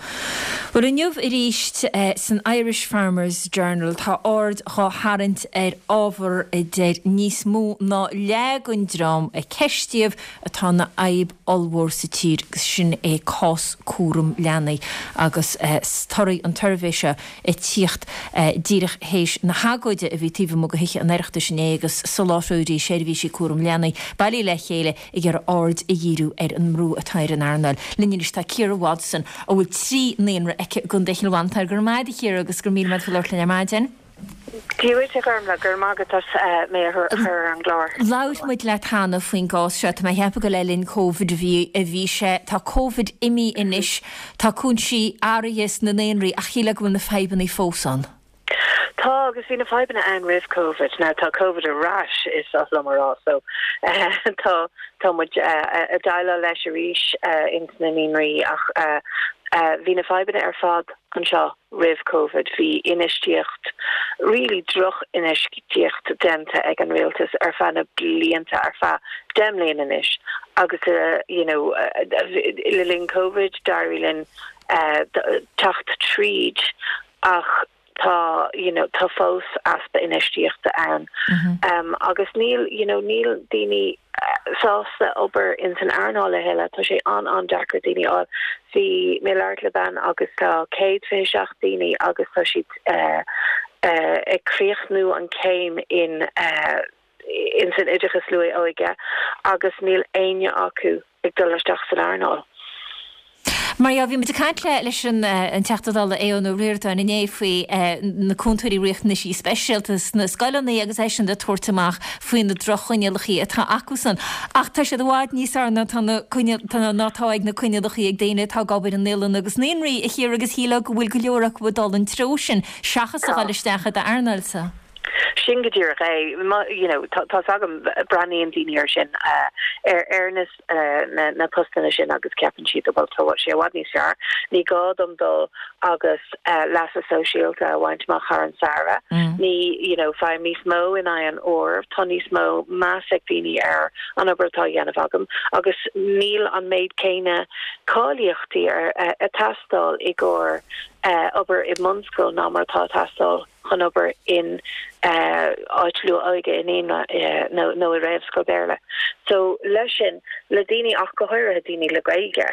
Bhuel inniu arís san Irish Farmers Journal tá aird dhá tharraingt ar ábhar a deir níos mó ná leath den dream a ceistíodh atá ina fhadhb ollmhór sa tír agus sin é cás cúram leanaí agus torthaí an tsuirbhé seo ag tíocht díreach théis na hagóide a bhí taobh amuigh de Thithe an Oireachtais inné agus soláthróirí seirbhísí cúram leanaí bailithe le chéile ag iarraidh aird a dhíriú ar an mbrú atá ar an earnáil. Linn anois tá Ciara Watson, a bhfuil 3 naíonra aici i gContae Chill Mhantáin. Go raibh maith agat a Chiara agus go raibh míle maith agat faoi labhairt linn ar maidin. Dia duit a Ghormfhlaith, go raibh maith agat as mé a chur ar an gclár. Labhair muid leat cheana faoin gcás seo. Tá mé ag ceapadh gur le linn Covid a bhí a bhí sé. Tá Covid imithe anois. Tá cúinsí athraithe sna naíonraí ach shílfeá go bhfuil na fadhbanna fós ann. Tá, agus bhí na fadhbanna ann roimh Covid. Now tá Covid ar ais, is oth liom a rá, so tá tá muid ag déileáil leis arís ins na naíonraí ach bhí na fadhbanna ar fad anseo roimh Covid. Bhí infheistíocht, really droch-infheistíocht déanta ag an rialtas ar feadh na blianta, ar feadh 10 mbliana anois agus you know le linn Covid d'éirigh linn teacht tríd ach tá you know tá fós easpa infheistíochta ann agus níl you know níl daoine sásta obair ins an earnáil a thuilleadh. Tá sé an-an-deacair daoine a fháil. Bhí mé ag labhairt le bean agus tá 127 daoine agus tá siad ag críochnú an céim in ins an oideachas luath óige agus níl éinne acu ag dul isteach san earnáil. Mar dhea, bhí muid ag caint le leis an Teachta Dála Aodhán Ó Ríordáin inné faoi na cúntóirí riachtanaisí speisialta sna scoileanna agus eisean ag tabhairt amach faoi na droch-choinníollacha atá acusan. Ach tá siad i bhfad níos fearr ná tá na ná tá ag na coinníollacha ag daoine atá ag obair i naíolanna agus naíonraí, a Chiara agus shílfeá go bhfuil go leor acu ag dul an treo sin seachas a dhul isteach i d'earnáilsa. Sin go díreach é. You know, tá tá's agam, breathnaíonn daoine air sin, ar ar na na postanna sin agus ceapann siad, bhuel, tá sé i bhfad níos fearr, ní gá dom dul agus leasa sóisialta a bhaint amach thar an samhradh, ní, you know, faighim níos mó in aghaidh an uair, tá níos mó meas ag daoine ar an obair atá á dhéanamh agam agus níl an méid céanna cáilíochtaí ag teastáil i gcomhair obair i mbunscoil ná mar atá ag teastáil chun obair in áit luath-óige i naíonra nó i réamhscoil Béarla. So leis sin, le daoine ach go háirithe daoine le Gaeilge,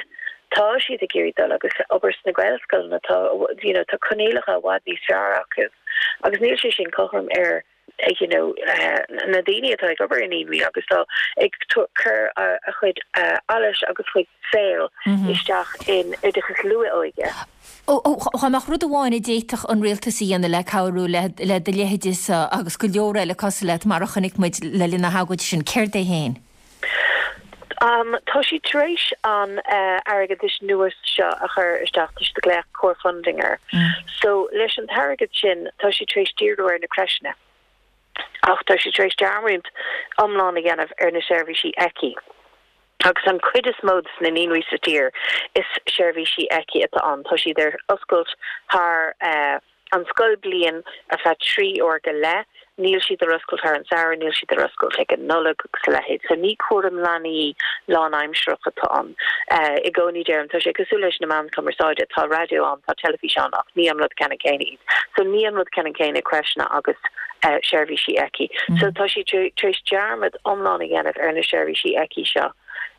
tá siad ag iarraidh dul agus obair sna Gaelscoileanna, tá you know tá coinníollacha i bhfad níos fearr acu agus níl sé sin cothrom ar you know na daoine atá ag obair i naíonraí agus atá ag cur a chuid allais agus a chuid saoil isteach in oideachas luath-óige. Dá mbeadh rud amháin a d'fhéadfadh an rialtas a dhéanamh le cabhrú le do leithéidese agus go leor eile cosúil leat, mar a chonaic muid le linn na hagóide sin, céard é féin? Tá siad tar éis an airgeadais nua seo a chur isteach, tá siad ag glaoch core funding air. So leis an t-airgead sin tá siad tar éis díriú ar na crècheanna ach tá siad tar éis dearmad iomlán a dhéanamh ar na seirbhísí ECCE. Agus an chuid is mó de na naíonraí sa tír is seirbhísí ECCE atá ann. Tá siad ar oscailt thar an scoilbliain ar feadh 3 uair go leith. Níl siad ar oscailt thar an samhradh, níl siad ar oscailt ag an Nollaig agus a leithéid. So ní cúram leanaí lánaimsearach atá ann. I gcónaí deirim, tá sé cosúil leis na meáin chumarsáide, tá raidió ann, tá teilifís ann ach ní an rud ceannann céanna iad. So ní an rud ceannann céanna crècheanna agus seirbhísí ECCE. So tá siad tar éis dearmad iomlán a dhéanamh ar na seirbhísí ECCE seo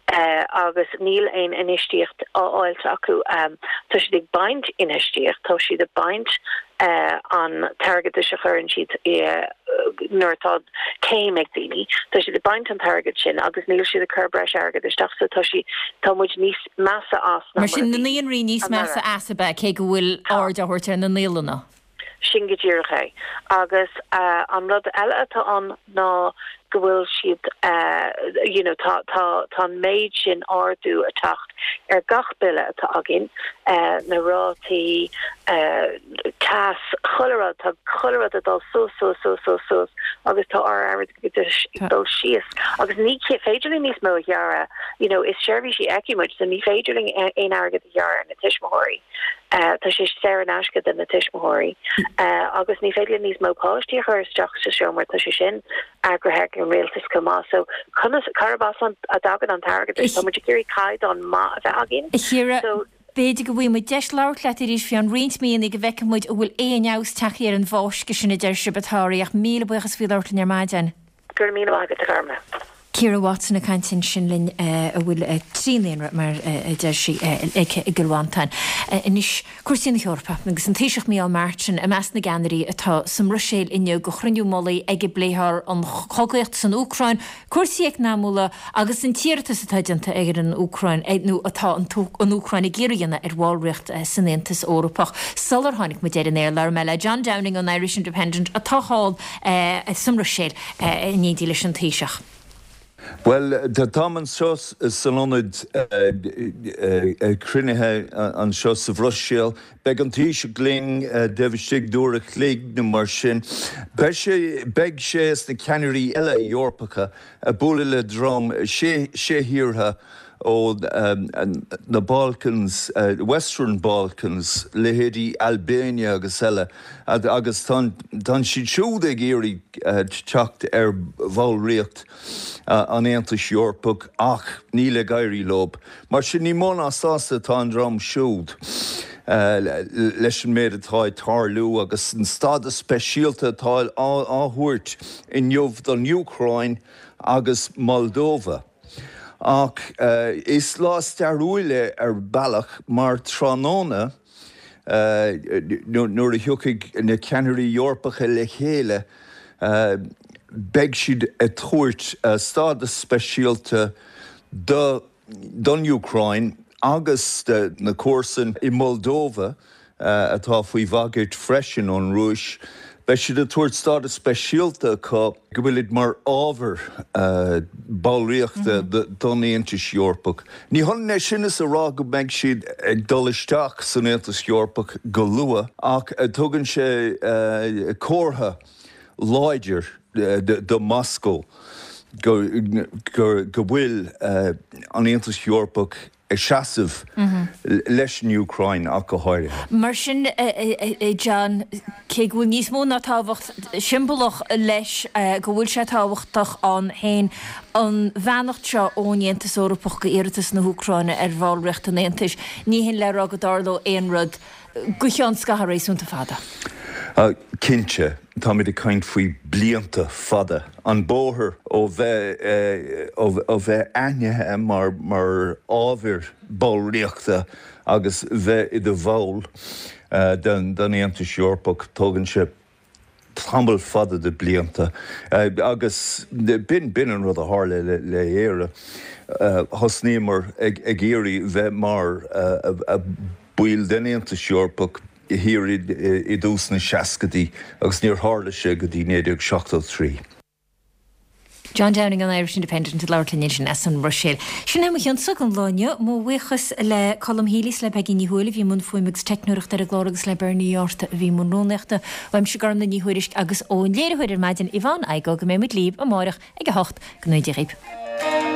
agus níl aon infheistíocht á fháilt acu. Tá siad ag baint infheistíocht, tá siad ag baint an t-airgeadais a chuireann siad nuair atá céim ag daoine, tá siad ag baint an t-airgead sin agus níl siad ag cur breis airgead isteach so tá sí, tá muid níos measa as ná mar a bhí anuraidh. Mar sin na naíonraí níos measa as ab ea, cé go bhfuil aird á thabhairt ar na naíolanna? Sin go díreach é. Agus an rud eile atá ann ná go bhfuil siad you know tá tá tá an méid sin ardú ag teacht ar gach bille atá againn, na rátaí, teas, chuile rud, tá chuile rud ag dul suas suas suas suas suas agus tá ár airgeadas ag dul síos agus ní féidir linn níos mó a ghearradh, you know is seirbhísí ECCE muid so ní féidir linn aon airgead a ghearradh ar na tuismitheoirí. Tá sé saor in aisce do na tuismitheoirí agus ní féidir linn níos mó páistí a chur isteach sa seomra, tá sé sin eagraithe ag an rialtas chomh maith. So conas, cárb as a dtagann an t-airgead? Tá muid ag iarraidh caighdeán maith a bheith againn. A Chiara, b'fhéidir go bhfaighidh muid deis labhairt leat arís faoi cheann roinnt míonna go bhfeicfidh muid an bhfuil aon fheabhas tagtha ar an bhfáisceadh sin a deir sibh atá oraibh ach míle buíochas faoi labhairt linn ar maidin. Go raibh míle maith agat, a Ghormlaith. Ciara Watson ag caint ansin linn a bhfuil 3 naíonra mar a deir sí aici i gCill Mhantáin. Anois cúrsaí na hEorpa agus an Taoiseach Micheál Martin i measc na gceannairí atá sa mBruiséil inniu do chruinniú mullaigh ag a bpléifear an chogaíocht san Úcráin, cúrsaí eacnamúla agus an t-iarratas atá déanta ag an Úcráin nó atá an Úcráin ag iarraidh a dhéanamh ar bhallraíocht san Aontas Eorpach. Sular tháinig muid ar an aer labhair mé le John Downing ón Irish Independent atá thall sa mBruiséil in éindí leis an Taoiseach. Bhuel, táim anseo san ionad cruinnithe anseo sa Bhruiséil. Beidh an Taoiseach linn taobh istigh d'uair a chloig nó mar sin. Beidh sé, beidh sé is na ceannairí eile Eorpacha ag bualadh le dream sé thíortha ó na Balkans, Western Balkans, leithéidí Albania agus eile, agus tá siad siúd ag iarraidh teacht ar bhallraíocht an Aontais Eorpaigh ach níl ag éirí leo. Mar sin, ní mó ná sásta atá an dream siúd leis an méid atá ag tarlú agus an stádas speisialta atá á thabhairt inniu don Úcráin agus Moldova. Ach is lá stairiúil é ar bhealach mar tráthnóna nuair a thiocfaidh na ceannairí Eorpacha le chéile beidh siad ag tabhairt stádas speisialta don Úcráin. agus na comharsain i Moldova atá faoi bhagairt freisin ón Rúis. Beidh siad ag tabhairt stádas speisialta acu go bhfuilid mar ábhar ballraíochta don Aontas Eorpach. Ní hionann é sin is a rá go mbeidh siad ag dul isteach san Aontas Eorpach go luath ach tugann sé comhartha láidir do Moscó go bhfuil an Aontas Eorpach ag seasamh leis an Úcráin ach go háirithe. Mar sin, a John, cé go bhfuil níos mó ná tábhacht siombalach leis, go bhfuil sé tábhachtach ann féin, an bheannacht seo ón Aontas Eorpach go iarratas na hÚcráine ar bhallraíocht an Aontais, ní hin le rá go dtarlódh aon rud go cheann scaitheamh réasúnta fada. Cinnte, táimid ag caint faoi blianta fada. An bóthar ó bheith ó bheith aithnithe mar mar ábhar ballraíochta agus bheith i do bhall den den Aontas Eorpach, tógann sé tamall fada de blianta. Agus b'in b'in an rud a tharla le le Éire. Thosnaíomar ag ag iarraidh bheith mar baill den Aontas Eorpach thiar i dtús na seascaidí agus níor tharla sé go dtí 1973. John Downing ón Irish Independent ag labhairt linn ansin as an mBruiséil. Sin é mo chionsa don lá inniu. Mo bhuíochas le Colm Healy is le Peigí Ní Thuathail a bhí i mbun fuaime agus teicneoireachta ar an gclár agus le Bernie Uí Fhátharta a bhí i mbun rúnaíochta. Uaimse Gormlaith Ní Thuairisg agus ón léiritheoir ar maidin Yvonne Igoe go mbeidh muid libh amáireach ag a 8. Go ngnóthaí Dia dhaoibh.